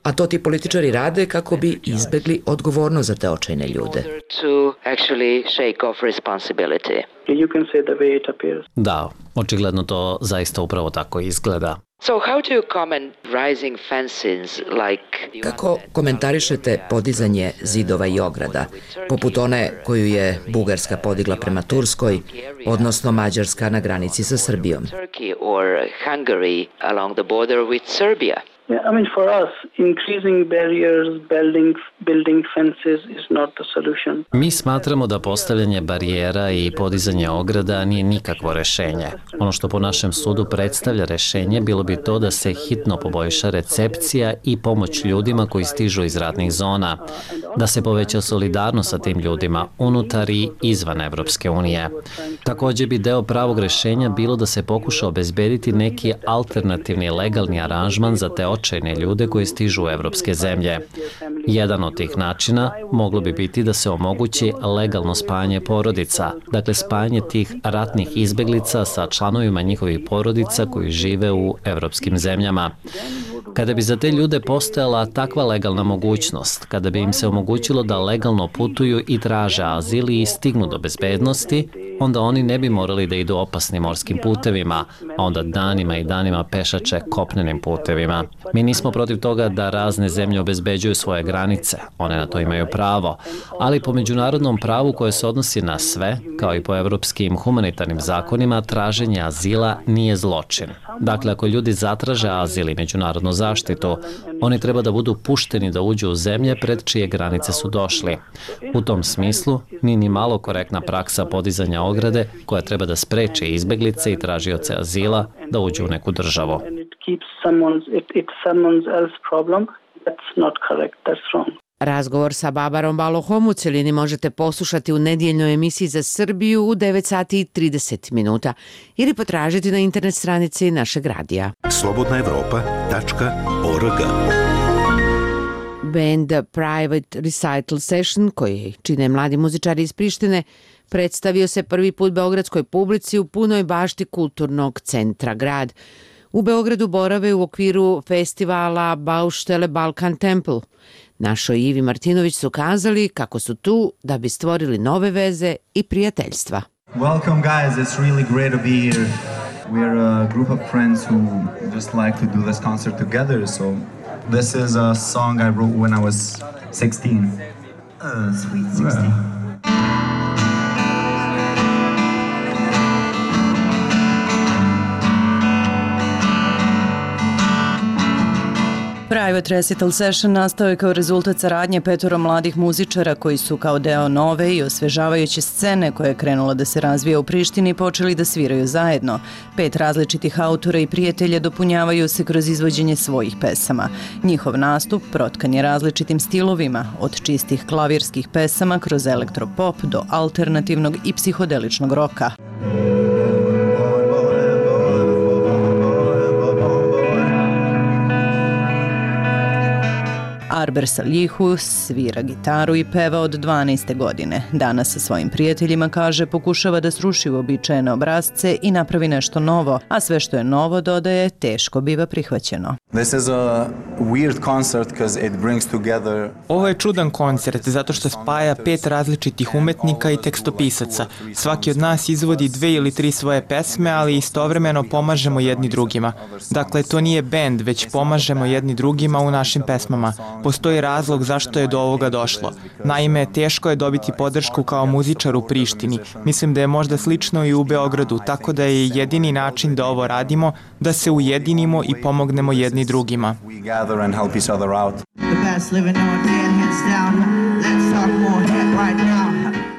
A to ti političari rade kako bi izbegli odgovornost za te očajne ljude. to actually shake off responsibility. You can say the way it appears. Da, očigledno to zaista upravo tako izgleda. So how do you comment rising fences like... Kako komentarišete podizanje zidova i ograda, poput one koju je Bugarska podigla prema Turskoj, odnosno Mađarska na granici sa Srbijom? Turkey or Hungary along the border with Serbia? Yeah, I mean, for us, increasing barriers, building, building fences is not the solution. Mi smatramo da postavljanje barijera i podizanje ograda nije nikakvo rešenje. Ono što po našem sudu predstavlja rešenje bilo bi to da se hitno poboljša recepcija i pomoć ljudima koji stižu iz ratnih zona, da se poveća solidarnost sa tim ljudima unutar i izvan Evropske unije. Također bi deo pravog rešenja bilo da se pokuša obezbediti neki alternativni legalni aranžman za te očajne ljude koji stižu u evropske zemlje. Jedan od tih načina moglo bi biti da se omogući legalno spajanje porodica, dakle spajanje tih ratnih izbeglica sa članovima njihovih porodica koji žive u evropskim zemljama. Kada bi za te ljude postojala takva legalna mogućnost, kada bi im se omogućilo da legalno putuju i traže azil i stignu do bezbednosti, onda oni ne bi morali da idu opasnim morskim putevima, a onda danima i danima pešače kopnenim putevima. Mi nismo protiv toga da razne zemlje obezbeđuju svoje granice, one na to imaju pravo, ali po međunarodnom pravu koje se odnosi na sve, kao i po evropskim humanitarnim zakonima, traženje azila nije zločin. Dakle, ako ljudi zatraže azil i međunarodnu zaštitu, oni treba da budu pušteni da uđu u zemlje pred čije granice su došli. U tom smislu, nije ni malo korektna praksa podizanja ograde koja treba da spreči izbeglice i tražioce azila da uđu u neku državu. Razgovor sa Babarom Balohom u celini možete poslušati u nedjeljnoj emisiji za Srbiju u devet sati i trideset minuta ili potražiti na internet stranici našeg radija. slobodna evropa tačka org. Band Private Recital Session, koji čine mladi muzičari iz Prištine, predstavio se prvi put beogradskoj publici u punoj bašti kulturnog centra grad. U Beogradu borave u okviru festivala Bauštele Balkan Temple. Našoj Ivi Martinović su kazali kako su tu da bi stvorili nove veze i prijateljstva. Welcome guys, it's really great to be here. We're a group of friends who just like to do this concert together, so this is a song I wrote when I was sixteen. Uh, sweet sixteen. Yeah. Private Recital Session nastao je kao rezultat saradnje petoro mladih muzičara koji su kao deo nove i osvežavajuće scene koja je krenula da se razvija u Prištini počeli da sviraju zajedno. Pet različitih autora i prijatelja dopunjavaju se kroz izvođenje svojih pesama. Njihov nastup protkan je različitim stilovima, od čistih klavirskih pesama kroz elektropop do alternativnog i psihodeličnog roka. Arber Salihu svira gitaru i peva od dvanaeste godine. Danas sa svojim prijateljima, kaže, pokušava da sruši uobičajene obrazce i napravi nešto novo, a sve što je novo, dodaje, teško biva prihvaćeno. This is a weird concert because it brings together... Ovo je čudan koncert zato što spaja pet različitih umetnika i tekstopisaca. Svaki od nas izvodi dve ili tri svoje pesme, ali istovremeno pomažemo jedni drugima. Dakle, to nije bend, već pomažemo jedni drugima u našim pesmama. Postoji razlog zašto je do ovoga došlo. Naime, teško je dobiti podršku kao muzičar u Prištini. Mislim da je možda slično i u Beogradu, tako da je jedini način da ovo radimo, da se ujedinimo i pomognemo jedni drugima.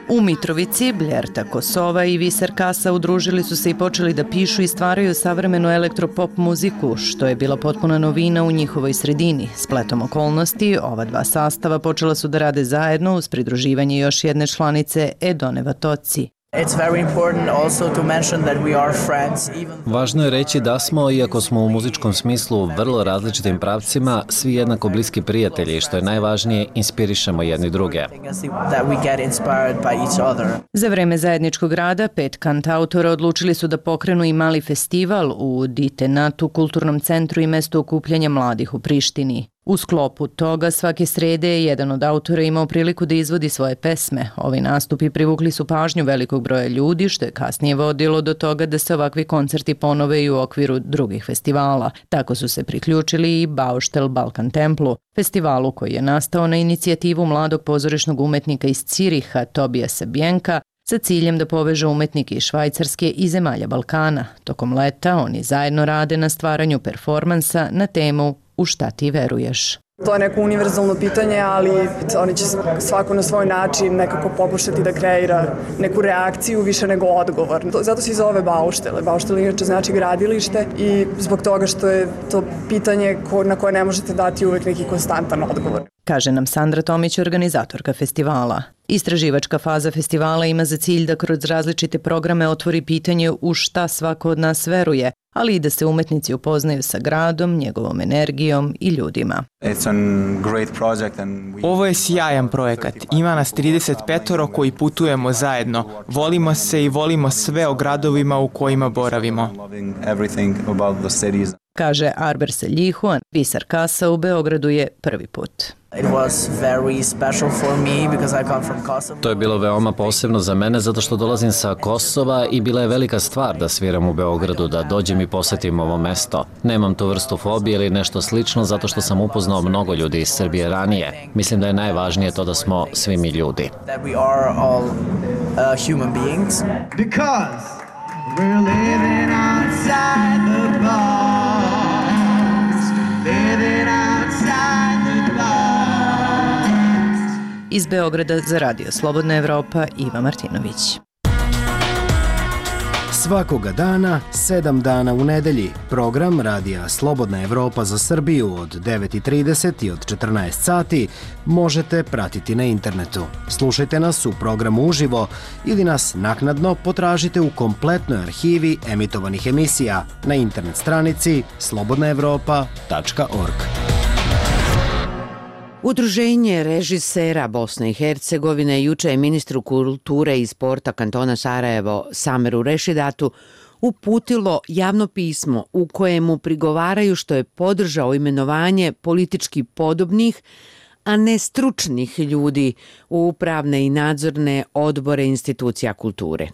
U Mitrovici, Bljerta Kosova i Viser Kasa udružili su se i počeli da pišu i stvaraju savremenu elektropop muziku, što je bila potpuna novina u njihovoj sredini. Spletom okolnosti, ova dva sastava počela su da rade zajedno uz pridruživanje još jedne članice Edone Vatoci. Važno je reći da smo, iako smo u muzičkom smislu u vrlo različitim pravcima, svi jednako bliski prijatelji, što je najvažnije, inspirišemo jedni druge. Za vreme zajedničkog rada, pet kantautora odlučili su da pokrenu i mali festival u Ditenatu, kulturnom centru i mestu okupljanja mladih u Prištini. U sklopu toga svake srede je jedan od autora imao priliku da izvodi svoje pesme. Ovi nastupi privukli su pažnju velikog broja ljudi, što je kasnije vodilo do toga da se ovakvi koncerti ponove i u okviru drugih festivala. Tako su se priključili i Bauštel Balkan Templu, festivalu koji je nastao na inicijativu mladog pozorišnog umetnika iz Ciriha Tobijasa Bjenka sa ciljem da poveže umetnike iz Švajcarske i zemalja Balkana. Tokom leta oni zajedno rade na stvaranju performansa na temu U šta ti veruješ? To je neko univerzalno pitanje, ali oni će svako na svoj način nekako pokušati da kreira neku reakciju više nego odgovor. Zato se i zove Bauštele. Bauštele inače znači gradilište i zbog toga što je to pitanje na koje ne možete dati uvek neki konstantan odgovor. Kaže nam Sandra Tomić, organizatorka festivala. Istraživačka faza festivala ima za cilj da kroz različite programe otvori pitanje u šta svako od nas veruje, ali i da se umetnici upoznaju sa gradom, njegovom energijom i ljudima. Ovo je sjajan projekat. Ima nas trideset petoro koji putujemo zajedno. Volimo se i volimo sve o gradovima u kojima boravimo. Kaže Arber Seljihu, a Visar Kasa u Beogradu je prvi put. To je bilo veoma posebno za mene zato što dolazim sa Kosova i bila je velika stvar da sviram u Beogradu, da dođem i posetim ovo mesto. Nemam tu vrstu fobije ili nešto slično zato što sam upoznao mnogo ljudi iz Srbije ranije. Mislim da je najvažnije to da smo svi mi ljudi. We're living outside the bars, living outside the bars. Iz Beograda za Radio Slobodna Evropa, Iva Martinović. Svakoga dana, sedam dana u nedelji, program Radija Slobodna Evropa za Srbiju od devet i trideset i od četrnaest sati možete pratiti na internetu. Slušajte nas u programu uživo ili nas naknadno potražite u kompletnoj arhivi emitovanih emisija na internet stranici slobodna evropa tačka org. Udruženje režisera Bosne i Hercegovine juče je ministru kulture i sporta kantona Sarajevo Sameru Rešidatu uputilo javno pismo u kojemu prigovaraju što je podržao imenovanje politički podobnih, a ne stručnih ljudi u upravne i nadzorne odbore institucija kulture.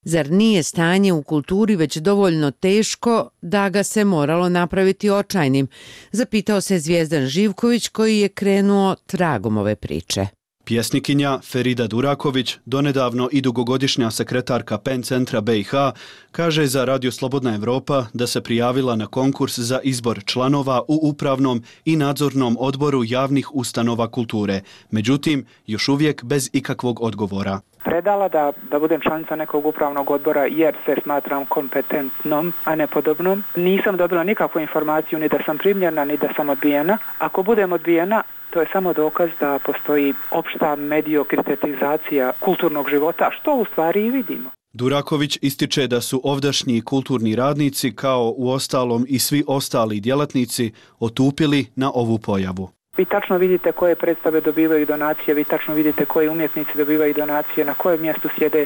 Zar nije stanje u kulturi već dovoljno teško da ga se moralo napraviti očajnim? Zapitao se Zvijezdan Živković koji je krenuo tragom ove priče. Pjesnikinja Ferida Duraković, donedavno i dugogodišnja sekretarka PEN centra B i H, kaže za Radio Slobodna Evropa da se prijavila na konkurs za izbor članova u upravnom i nadzornom odboru javnih ustanova kulture. Međutim, još uvijek bez ikakvog odgovora. Predala da, da budem članica nekog upravnog odbora jer se smatram kompetentnom, a ne podobnom. Nisam dobila nikakvu informaciju ni da sam primljena, ni da sam odbijena. Ako budem odbijena, to je samo dokaz da postoji opšta mediokritetizacija kulturnog života, što u stvari i vidimo. Duraković ističe da su ovdašnji kulturni radnici, kao u ostalom i svi ostali djelatnici, otupili na ovu pojavu. Vi tačno vidite koje predstave dobivaju donacije, vi tačno vidite koji umjetnici dobivaju donacije, na kojem mjestu sjede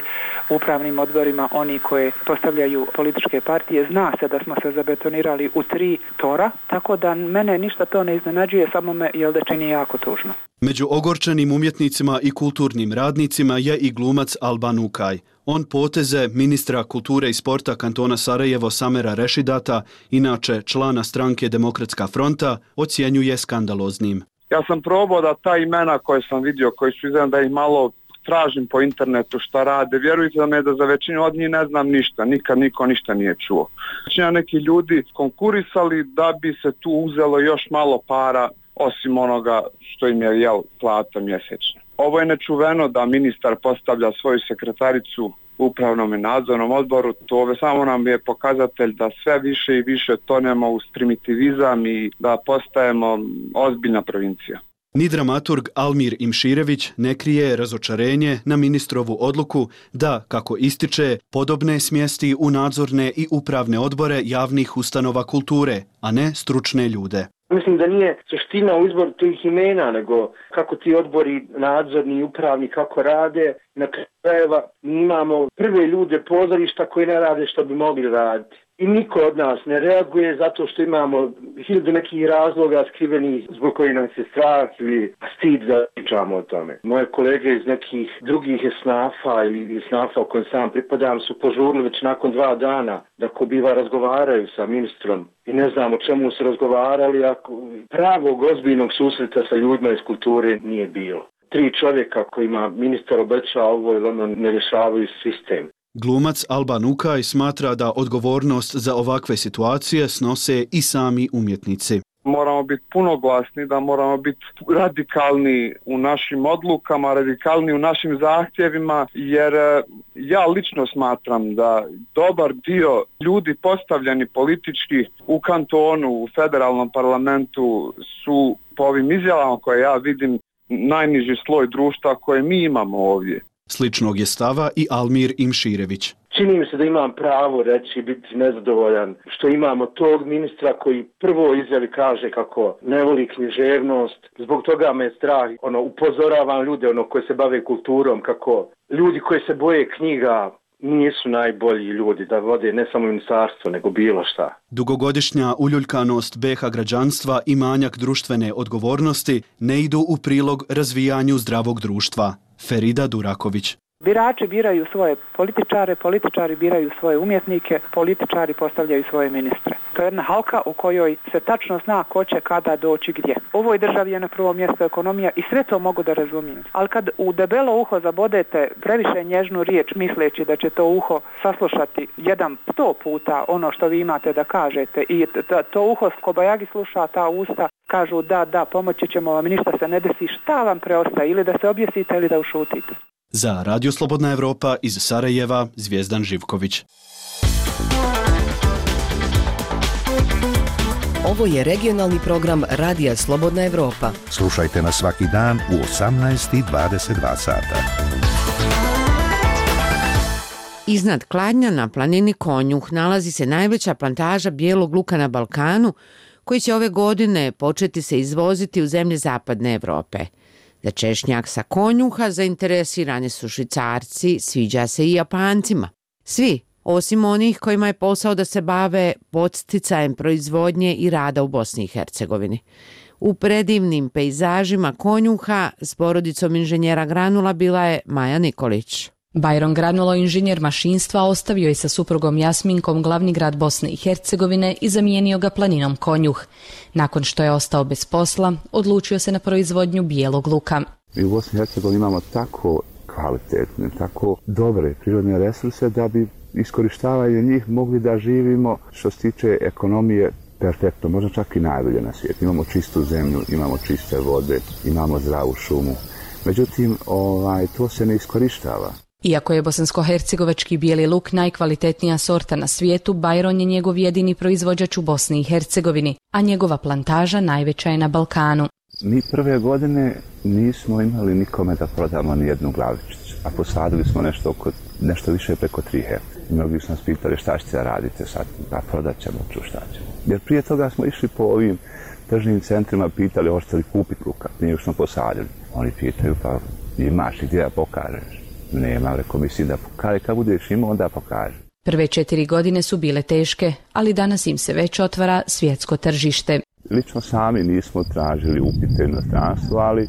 u upravnim odborima oni koje postavljaju političke partije. Zna se da smo se zabetonirali u tri tora, tako da mene ništa to ne iznenađuje, samo me jel da čini jako tužno. Među ogorčenim umjetnicima i kulturnim radnicima je i glumac Alban Ukaj. On poteze ministra kulture i sporta kantona Sarajevo Samera Rešidata, inače člana stranke Demokratska fronta, ocjenjuje skandaloznim. Ja sam probao da ta imena koje sam vidio, koji su izgledam da ih malo tražim po internetu šta rade, vjerujte da me da za većinu od njih ne znam ništa, nikad niko ništa nije čuo. Većina neki ljudi konkurisali da bi se tu uzelo još malo para osim onoga što im je jel plata mjesečno. Ovo je nečuveno da ministar postavlja svoju sekretaricu u upravnom i nadzornom odboru. To samo nam je pokazatelj da sve više i više tonemo u primitivizam i da postajemo ozbiljna provincija. Ni dramaturg Almir Imširević ne krije razočarenje na ministrovu odluku da, kako ističe, podobne smjesti u nadzorne i upravne odbore javnih ustanova kulture, a ne stručne ljude. Mislim da nije suština u izboru tih imena, nego kako ti odbori nadzorni i upravni kako rade. Na krajeva imamo prve ljude pozorišta koji ne rade što bi mogli raditi. i niko od nas ne reaguje zato što imamo hiljadu nekih razloga skrivenih zbog koji nam se strah ili stid da pričamo o tome. Moje kolege iz nekih drugih esnafa ili esnafa u kojem sam pripadam su požurili već nakon dva dana da ko biva razgovaraju sa ministrom i ne znam o čemu su razgovarali, ako pravog ozbiljnog susreta sa ljudima iz kulture nije bilo. Tri čovjeka kojima ministar obeća ovo ili ono ne rješavaju sistem. Glumac Alban Ukaj smatra da odgovornost za ovakve situacije snose i sami umjetnici. Moramo biti puno glasni, da moramo biti radikalni u našim odlukama, radikalni u našim zahtjevima, jer ja lično smatram da dobar dio ljudi postavljeni politički u kantonu, u federalnom parlamentu su po ovim izjavama koje ja vidim najniži sloj društva koje mi imamo ovdje. Sličnog je stava i Almir Imširević. Čini mi se da imam pravo reći biti nezadovoljan što imamo tog ministra koji prvo izjavi kaže kako ne voli književnost. Zbog toga me je strah. Ono, upozoravam ljude ono, koji se bave kulturom kako ljudi koji se boje knjiga nisu najbolji ljudi da vode ne samo ministarstvo nego bilo šta. Dugogodišnja uljuljkanost B iH građanstva i manjak društvene odgovornosti ne idu u prilog razvijanju zdravog društva. Ferida Duraković. Birači biraju svoje političare, političari biraju svoje umjetnike, političari postavljaju svoje ministre. To je jedna halka u kojoj se tačno zna ko će kada doći gdje. U ovoj državi je na prvom mjestu ekonomija i sve to mogu da razumijem. Ali kad u debelo uho zabodete previše nježnu riječ misleći da će to uho saslušati jedan sto puta ono što vi imate da kažete i to uho kobajagi sluša, ta usta kažu da, da, pomoći ćemo vam i ništa se ne desi, šta vam preostaje ili da se objesite ili da ušutite. Za Radio Slobodna Evropa iz Sarajeva, Zvijezdan Živković. Ovo je regionalni program Radija Slobodna Evropa. Slušajte nas svaki dan u osamnaest i dvadeset dva sata. Iznad Kladnja na planini Konjuh nalazi se najveća plantaža bijelog luka na Balkanu, koji će ove godine početi se izvoziti u zemlje zapadne Evrope. Za češnjak sa Konjuha zainteresirani su Švicarci, sviđa se i Japancima. Svi, osim onih kojima je posao da se bave podsticajem proizvodnje i rada u Bosni i Hercegovini. U predivnim pejzažima Konjuha s porodicom inženjera Granula bila je Maja Nikolić. Bajron Granulo, inženjer mašinstva, ostavio je sa suprugom Jasminkom glavni grad Bosne i Hercegovine i zamijenio ga planinom Konjuh. Nakon što je ostao bez posla, odlučio se na proizvodnju bijelog luka. Mi u Bosni i Hercegovini imamo tako kvalitetne, tako dobre prirodne resurse da bi iskorištavanje njih mogli da živimo što se tiče ekonomije perfektno, možda čak i najbolje na svijetu. Imamo čistu zemlju, imamo čiste vode, imamo zdravu šumu. Međutim, ovaj, to se ne iskorištava. Iako je bosansko-hercegovački bijeli luk najkvalitetnija sorta na svijetu, Bajron je njegov jedini proizvođač u Bosni i Hercegovini, a njegova plantaža najveća je na Balkanu. Mi prve godine nismo imali nikome da prodamo ni jednu glavičicu, a posadili smo nešto, oko, nešto više preko tri hektra. Mnogi su nas pitali šta ćete radite sad, pa prodat ćemo, ču šta ćemo. Jer prije toga smo išli po ovim tržnim centrima, pitali hoćete li kupiti luka, nije smo posadili. Oni pitaju pa imaš i gdje da pokažeš. Nema, rekao mislim da pokaže, kad budeš imao onda pokaže. Prve četiri godine su bile teške, ali danas im se već otvara svjetsko tržište. Lično sami nismo tražili upite u inostranstvo, ali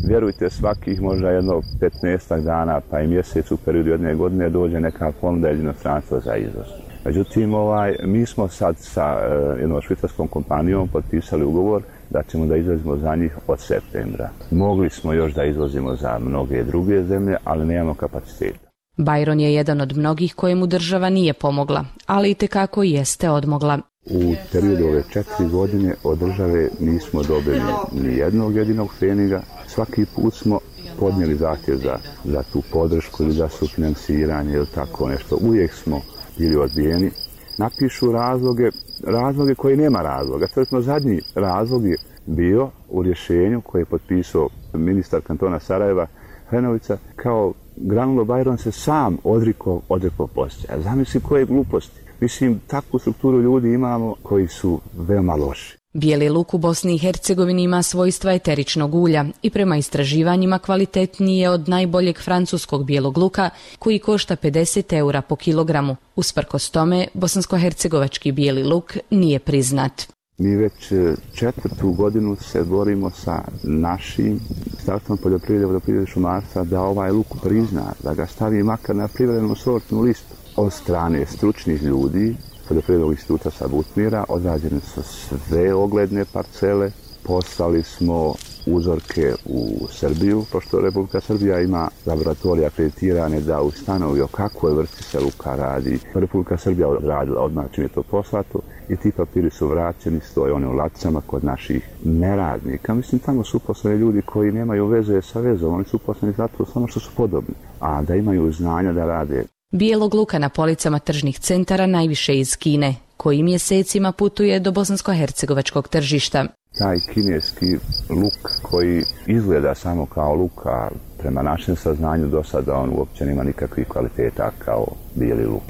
vjerujte svakih možda jedno petnaestak dana pa i mjesec u periodu jedne godine dođe neka ponuda iz inostranstva za izvoz. Međutim, ovaj, mi smo sad sa uh, jednom švicarskom kompanijom potpisali ugovor da ćemo da izvozimo za njih od septembra. Mogli smo još da izvozimo za mnoge druge zemlje, ali nemamo kapaciteta. Bajron je jedan od mnogih kojemu država nije pomogla, ali i tekako jeste odmogla. U periodu ove četiri godine od države nismo dobili ni jednog jedinog pfeniga. Svaki put smo podnijeli zahtjev za, za tu podršku ili za sufinansiranje ili tako nešto. Uvijek smo bili odbijeni. Napišu razloge, razloge koji nema razloga. To je zadnji razlog je bio u rješenju koje je potpisao ministar kantona Sarajeva Hrenovica, kao Granulo Bajron se sam odrikao odrekao poslije. A zamisli koje gluposti. Mislim, takvu strukturu ljudi imamo koji su veoma loši. Bijeli luk u Bosni i Hercegovini ima svojstva eteričnog ulja i prema istraživanjima kvalitetniji je od najboljeg francuskog bijelog luka koji košta pedeset eura po kilogramu. Usprkos tome, bosansko-hercegovački bijeli luk nije priznat. Mi već četvrtu godinu se borimo sa našim Ministarstvom poljoprivrede, vodoprivrede i šumarstva da ovaj luk prizna, da ga stavi makar na privremenu sortnu listu. Od strane stručnih ljudi Poljoprivrednog instituta sa Butmira odrađene su sve ogledne parcele, poslali smo uzorke u Srbiju, pošto Republika Srbija ima laboratorije akreditirane da ustanovi o kakvoj vrsti se luka radi. Republika Srbija odradila odmah čim je to poslato i ti papiri su vraćeni, stoje one u ladicama kod naših neradnika. Mislim, tamo su uposleni ljudi koji nemaju veze sa vezom, oni su uposleni zato samo što su podobni, a da imaju znanja da rade. Bijelog luka na policama tržnih centara najviše iz Kine, koji mjesecima putuje do bosansko-hercegovačkog tržišta. Taj kineski luk koji izgleda samo kao luk, a prema našem saznanju do sada on uopće nema nikakvih kvaliteta kao bijeli luk.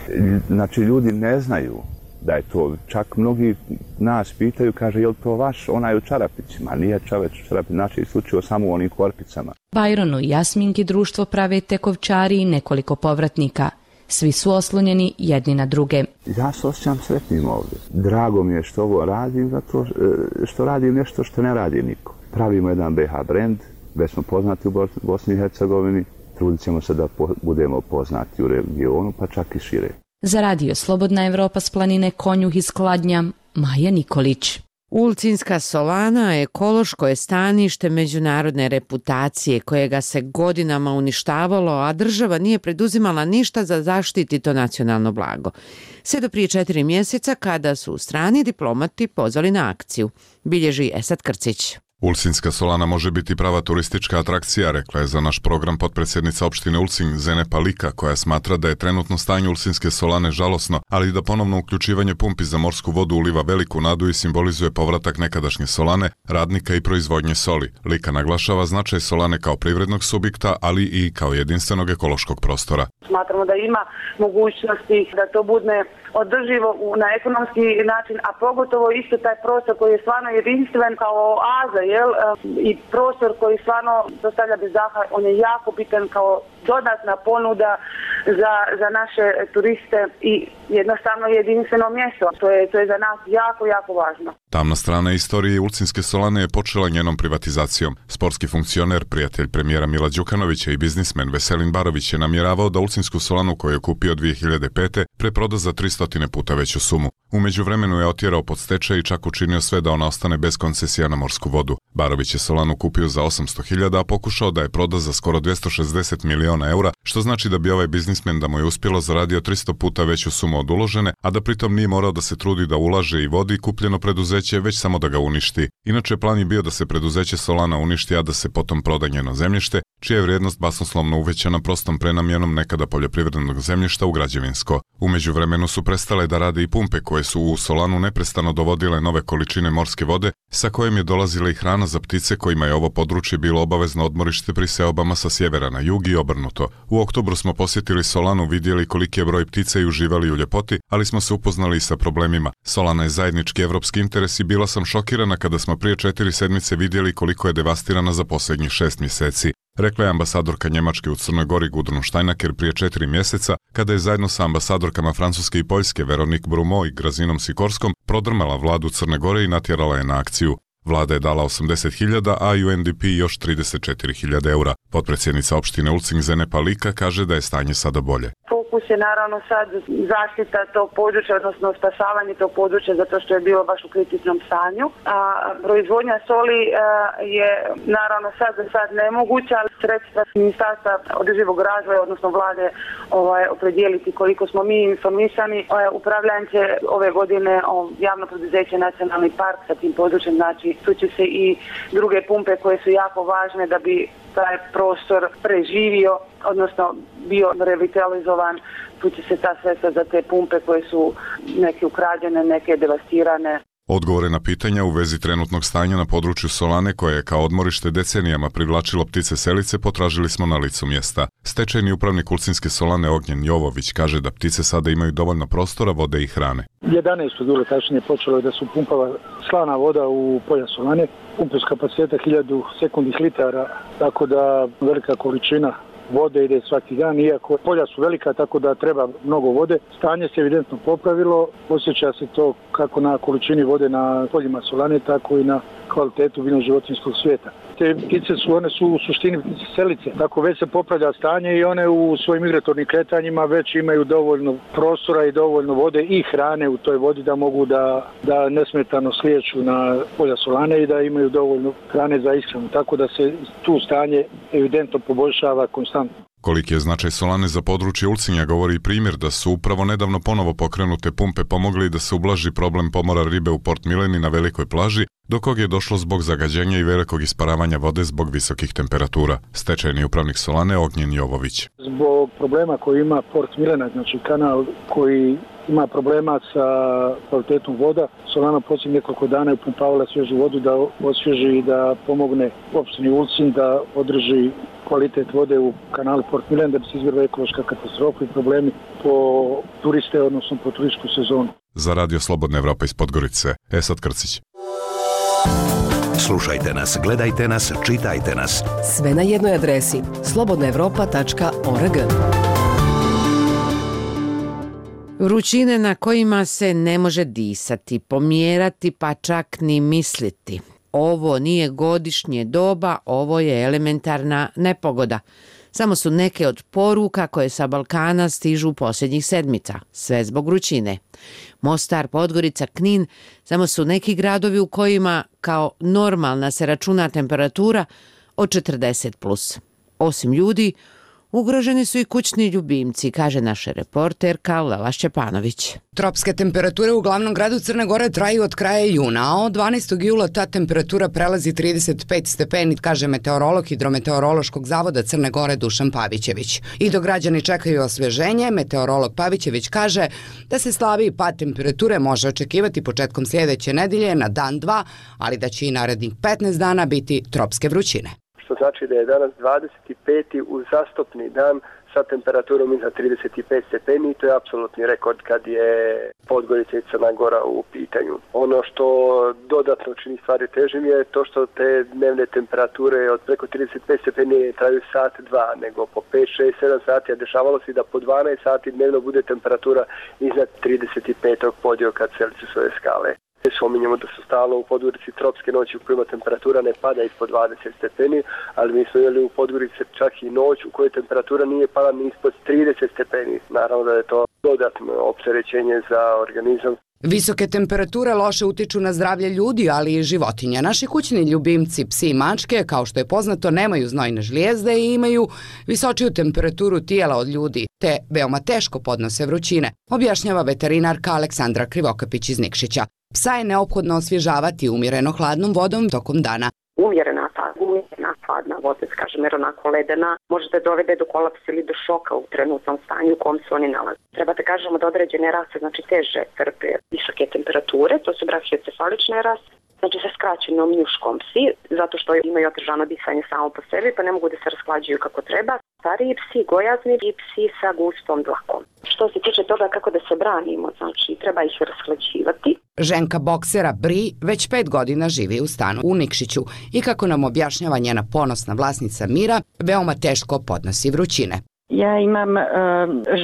Znači, ljudi ne znaju da je to, čak mnogi nas pitaju, kaže, je li to vaš onaj u čarapićima? Nije čoveć u čarapićima, znači isključivo samo u onim korpicama. Bajronu i Jasminki društvo prave tekovčari i nekoliko povratnika. Svi su oslonjeni jedni na druge. Ja se osjećam sretnim ovdje. Drago mi je što ovo radim, zato što radim nešto što ne radi niko. Pravimo jedan B H brand, već smo poznati u Bosni i Hercegovini, trudit ćemo se da po, budemo poznati u regionu, pa čak i šire. Za radio Slobodna Evropa s planine Konjuh iz Kladnja, Maja Nikolić. Ulcinska solana ekološko je stanište međunarodne reputacije kojega se godinama uništavalo, a država nije preduzimala ništa za zaštiti to nacionalno blago. Sve do prije četiri mjeseca kada su strani diplomati pozvali na akciju, bilježi Esad Krcić. Ulcinska solana može biti prava turistička atrakcija, rekla je za naš program potpredsjednica opštine Ulcin Zene Palika, koja smatra da je trenutno stanje Ulcinske solane žalosno, ali da ponovno uključivanje pumpi za morsku vodu uliva veliku nadu i simbolizuje povratak nekadašnje solane, radnika i proizvodnje soli. Lika naglašava značaj solane kao privrednog subjekta, ali i kao jedinstvenog ekološkog prostora. Smatramo da ima mogućnosti da to bude održivo na ekonomski način, a pogotovo isto taj prostor koji je stvarno jedinstven kao oaza, jel? I prostor koji stvarno dostavlja bez daha, on je jako bitan kao dodatna ponuda za, za naše turiste i jednostavno jedinstveno mjesto. To je, to je za nas jako, jako važno. Tamna strana istorije Ulcinske solane je počela njenom privatizacijom. Sportski funkcioner, prijatelj premijera Mila Đukanovića i biznismen Veselin Barović je namjeravao da Ulcinsku solanu koju je kupio dvije hiljade pete preproda za tristo puta veću sumu. U međuvremenu je otjerao pod stečaj i čak učinio sve da ona ostane bez koncesija na morsku vodu. Barović je solanu kupio za osamsto hiljada, a pokušao da je proda za skoro dvjesto šezdeset miliona eura, što znači da bi ovaj biznismen da mu je uspjelo zaradio tristo puta veću sumu od uložene, a da pritom nije morao da se trudi da ulaže i vodi kupljeno preduzeće, već samo da ga uništi. Inače, plan je bio da se preduzeće Solana uništi, a da se potom proda njeno zemljište, čija je vrijednost basnoslovno uvećana prostom prenamjenom nekada poljoprivrednog zemljišta u građevinsko. U međuvremenu su prestale da rade i pumpe koje su u solanu neprestano dovodile nove količine morske vode, sa kojim je dolazila i hrana za ptice kojima je ovo područje bilo obavezno odmorište pri seobama sa sjevera na jug i obrnuto. U oktobru smo posjetili solanu, vidjeli koliki je broj ptica i uživali u ljepoti, ali smo se upoznali i sa problemima. Solana je zajednički evropski interes i bila sam šokirana kada smo prije četiri sedmice vidjeli koliko je devastirana za posljednjih šest mjeseci. Rekla je ambasadorka Njemačke u Crnoj Gori Gudrun Štajnaker prije četiri mjeseca, kada je zajedno sa ambasadorkama Francuske i Poljske Veronique Brumo i Grazinom Sikorskom prodrmala vladu Crne Gore i natjerala je na akciju. Vlada je dala osamdeset hiljada, a U N D P još trideset četiri hiljade eura. Potpredsjednica opštine Ulcin Zene Palika kaže da je stanje sada bolje. Fokus je naravno sad zaštita tog područja, odnosno spasavanje tog područja zato što je bilo baš u kritičnom stanju. A proizvodnja soli je naravno sad za sad nemoguća, ali sredstva Ministarstva održivog razvoja, odnosno vlade, ovaj, opredijeliti koliko smo mi informisani. Upravljanje će ove godine javno preduzeće Nacionalni park sa tim područjem, znači tu će se i druge pumpe koje su jako važne da bi taj prostor preživio, odnosno bio revitalizovan. Tu će se ta sredstva za te pumpe koje su neke ukrađene, neke devastirane Odgovore na pitanja u vezi trenutnog stanja na području Solane, koje je kao odmorište decenijama privlačilo ptice selice, potražili smo na licu mjesta. Stečajni upravnik Ulcinske Solane Ognjen Jovović kaže da ptice sada imaju dovoljno prostora, vode i hrane. jedanaestog jula tačnije počelo je da su pumpava slana voda u polja Solane, pumpe s kapaciteta hiljadu sekundnih litara, tako da velika količina vode ide svaki dan, iako polja su velika, tako da treba mnogo vode. Stanje se evidentno popravilo, osjeća se to kako na količini vode na poljima Solane, tako i na kvalitetu biljnog životinjskog svijeta. Te ptice su, one su u suštini ptice selice, tako već se popravlja stanje i one u svojim migratornim kretanjima već imaju dovoljno prostora i dovoljno vode i hrane u toj vodi da mogu da, da nesmetano slijeću na polja Solane i da imaju dovoljno hrane za ishranu, tako da se tu stanje evidentno poboljšava konstantno. Koliki je značaj Solane za područje Ulcinja govori i primjer da su upravo nedavno ponovo pokrenute pumpe pomogli da se ublaži problem pomora ribe u Port Mileni na velikoj plaži, do kog je došlo zbog zagađenja i velikog isparavanja vode zbog visokih temperatura. Stečajni upravnik Solane Ognjen Jovović. Zbog problema koji ima Port Milena, znači kanal koji ima problema sa kvalitetom voda, Solana posljednjih nekoliko dana je upumpavala svježu vodu da osvježi i da pomogne opštini Ulcinj da održi kvalitet vode u kanalu Port Milen, da bi se izbjegla ekološka katastrofa i problemi po turiste, odnosno po turističku sezonu. Za Radio Slobodna Evropa iz Podgorice, Esad Krcić. Slušajte nas, gledajte nas, čitajte nas. Sve na jednoj adresi slobodna evropa tačka org. Vrućine na kojima se ne može disati, pomjerati pa čak ni misliti. Ovo nije godišnje doba, ovo je elementarna nepogoda. Samo su neke od poruka koje sa Balkana stižu posljednjih sedmica, sve zbog vrućine. Mostar, Podgorica, Knin, samo su neki gradovi u kojima kao normalna se računa temperatura od četrdeset plus. Osim ljudi, ugroženi su i kućni ljubimci, kaže naša reporterka Lela Šćepanović. Tropske temperature u glavnom gradu Crne Gore traju od kraja juna, a od dvanaestog jula ta temperatura prelazi trideset pet stepeni, kaže meteorolog Hidrometeorološkog zavoda Crne Gore Dušan Pavićević. I dok građani čekaju osveženje, meteorolog Pavićević kaže da se slabiji pad temperature može očekivati početkom sljedeće nedelje na dan dva, ali da će i narednih petnaest dana biti tropske vrućine. Što znači da je danas dvadeset peti uzastopni dan sa temperaturom iznad trideset pet stepeni i to je apsolutni rekord kad je Podgorica i Crna Gora u pitanju. Ono što dodatno čini stvari težim je to što te dnevne temperature od preko trideset pet stepeni traju sat, dva, nego po pet, šest, sedam sati, a dešavalo se da po dvanaest sati dnevno bude temperatura iznad trideset petog podioka Celzijusove skale. Spominjemo da su stalno u Podgorici tropske noći u kojima temperatura ne pada ispod dvadeset stepeni, ali mi smo imali u Podgorici čak i noć u kojoj temperatura nije pala ni ispod trideset stepeni. Naravno da je to dodatno opterećenje za organizam. Visoke temperature loše utiču na zdravlje ljudi, ali i životinja. Naši kućni ljubimci, psi i mačke, kao što je poznato, nemaju znojne žlijezde i imaju visočiju temperaturu tijela od ljudi, te veoma teško podnose vrućine, objašnjava veterinarka Aleksandra Krivokapić iz Nikšića. Psa je neophodno osvježavati umjereno hladnom vodom tokom dana. Umjerena ta umjerena hladna voda, kažem, jer onako ledena, može da dovede do kolapsa ili do šoka u trenutnom stanju u kom se oni nalaze. Treba da kažemo da određene rase, znači teže trpe visoke temperature, to su brahiocefalične rase, znači sa skraćenom njuškom psi, zato što imaju otežano disanje samo po sebi, pa ne mogu da se rasklađuju kako treba. Stariji psi, gojazni i psi sa gustom dlakom. Što se tiče toga kako da se branimo, znači treba ih rasklađivati. Ženka boksera Bri već pet godina živi u stanu u Nikšiću i kako nam objašnjava njena ponosna vlasnica Mira, veoma teško podnosi vrućine. Ja imam uh,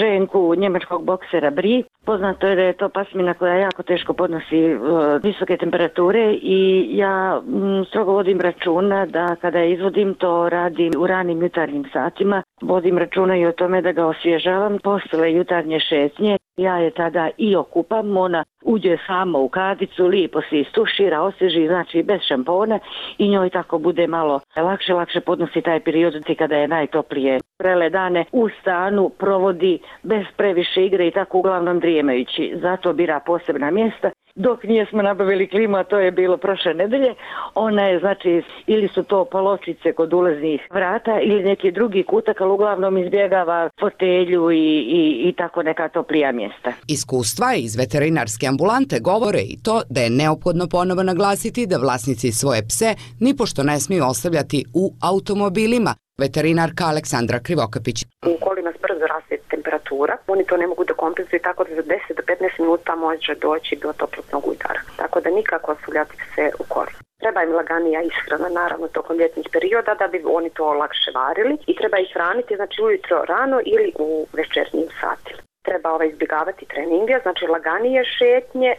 ženku njemačkog boksera Bri. Poznato je da je to pasmina koja jako teško podnosi uh, visoke temperature i ja m, strogo vodim računa da kada je izvodim to radim u ranim jutarnjim satima. Vodim računa i o tome da ga osvježavam posle jutarnje šetnje. Ja je tada i okupam, ona uđe sama u kadicu, lijepo se istušira, osvježi, znači bez šampona i njoj tako bude malo lakše, lakše podnosi taj period kada je najtoplije. Prele dane u stanu provodi bez previše igre i tako uglavnom drijemajući. Zato bira posebna mjesta dok nijesmo nabavili klimu, a to je bilo prošle nedelje. Ona je, znači, ili su to paločice kod ulaznih vrata ili neki drugi kutak, ali uglavnom izbjegava fotelju i, i, i tako neka toplija mjesta. Iskustva iz veterinarske ambulante govore i to da je neophodno ponovo naglasiti da vlasnici svoje pse nipošto ne smiju ostavljati u automobilima. Veterinarka Aleksandra Krivokapić. U kolima brzo raste temperatura, oni to ne mogu da kompenzuju, tako da za deset do petnaest minuta može doći do toplotnog udara. Tako da nikako ostavljati pse u koli. Treba im laganija ishrana, naravno, tokom ljetnih perioda da bi oni to lakše varili i treba ih hraniti, znači ujutro rano ili u večernjim satima. Treba ovaj izbjegavati treninge, znači laganije šetnje,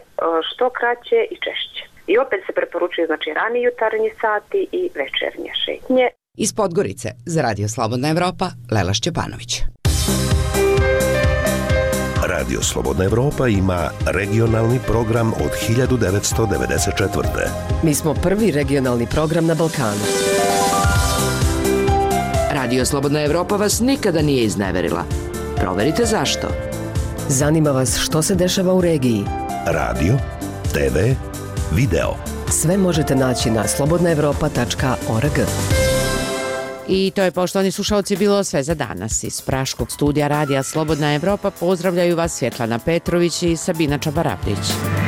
što kraće i češće. I opet se preporučuje, znači, rani jutarnji sati i večernje šetnje. Iz Podgorice za Radio Slobodna Evropa, Lela Šćepanović. Radio Slobodna Evropa ima regionalni program od hiljadu devetsto devedeset četvrte. Mi smo prvi regionalni program na Balkanu. Radio Slobodna Evropa vas nikada nije izneverila. Proverite zašto. Zanima vas što se dešava u regiji. Radio, te ve, video. Sve možete naći na slobodna evropa tačka org. I to je, poštovani slušalci, bilo sve za danas. Iz praškog studija Radija Slobodna Evropa pozdravljaju vas Svjetlana Petrović i Sabina Čabarabdić.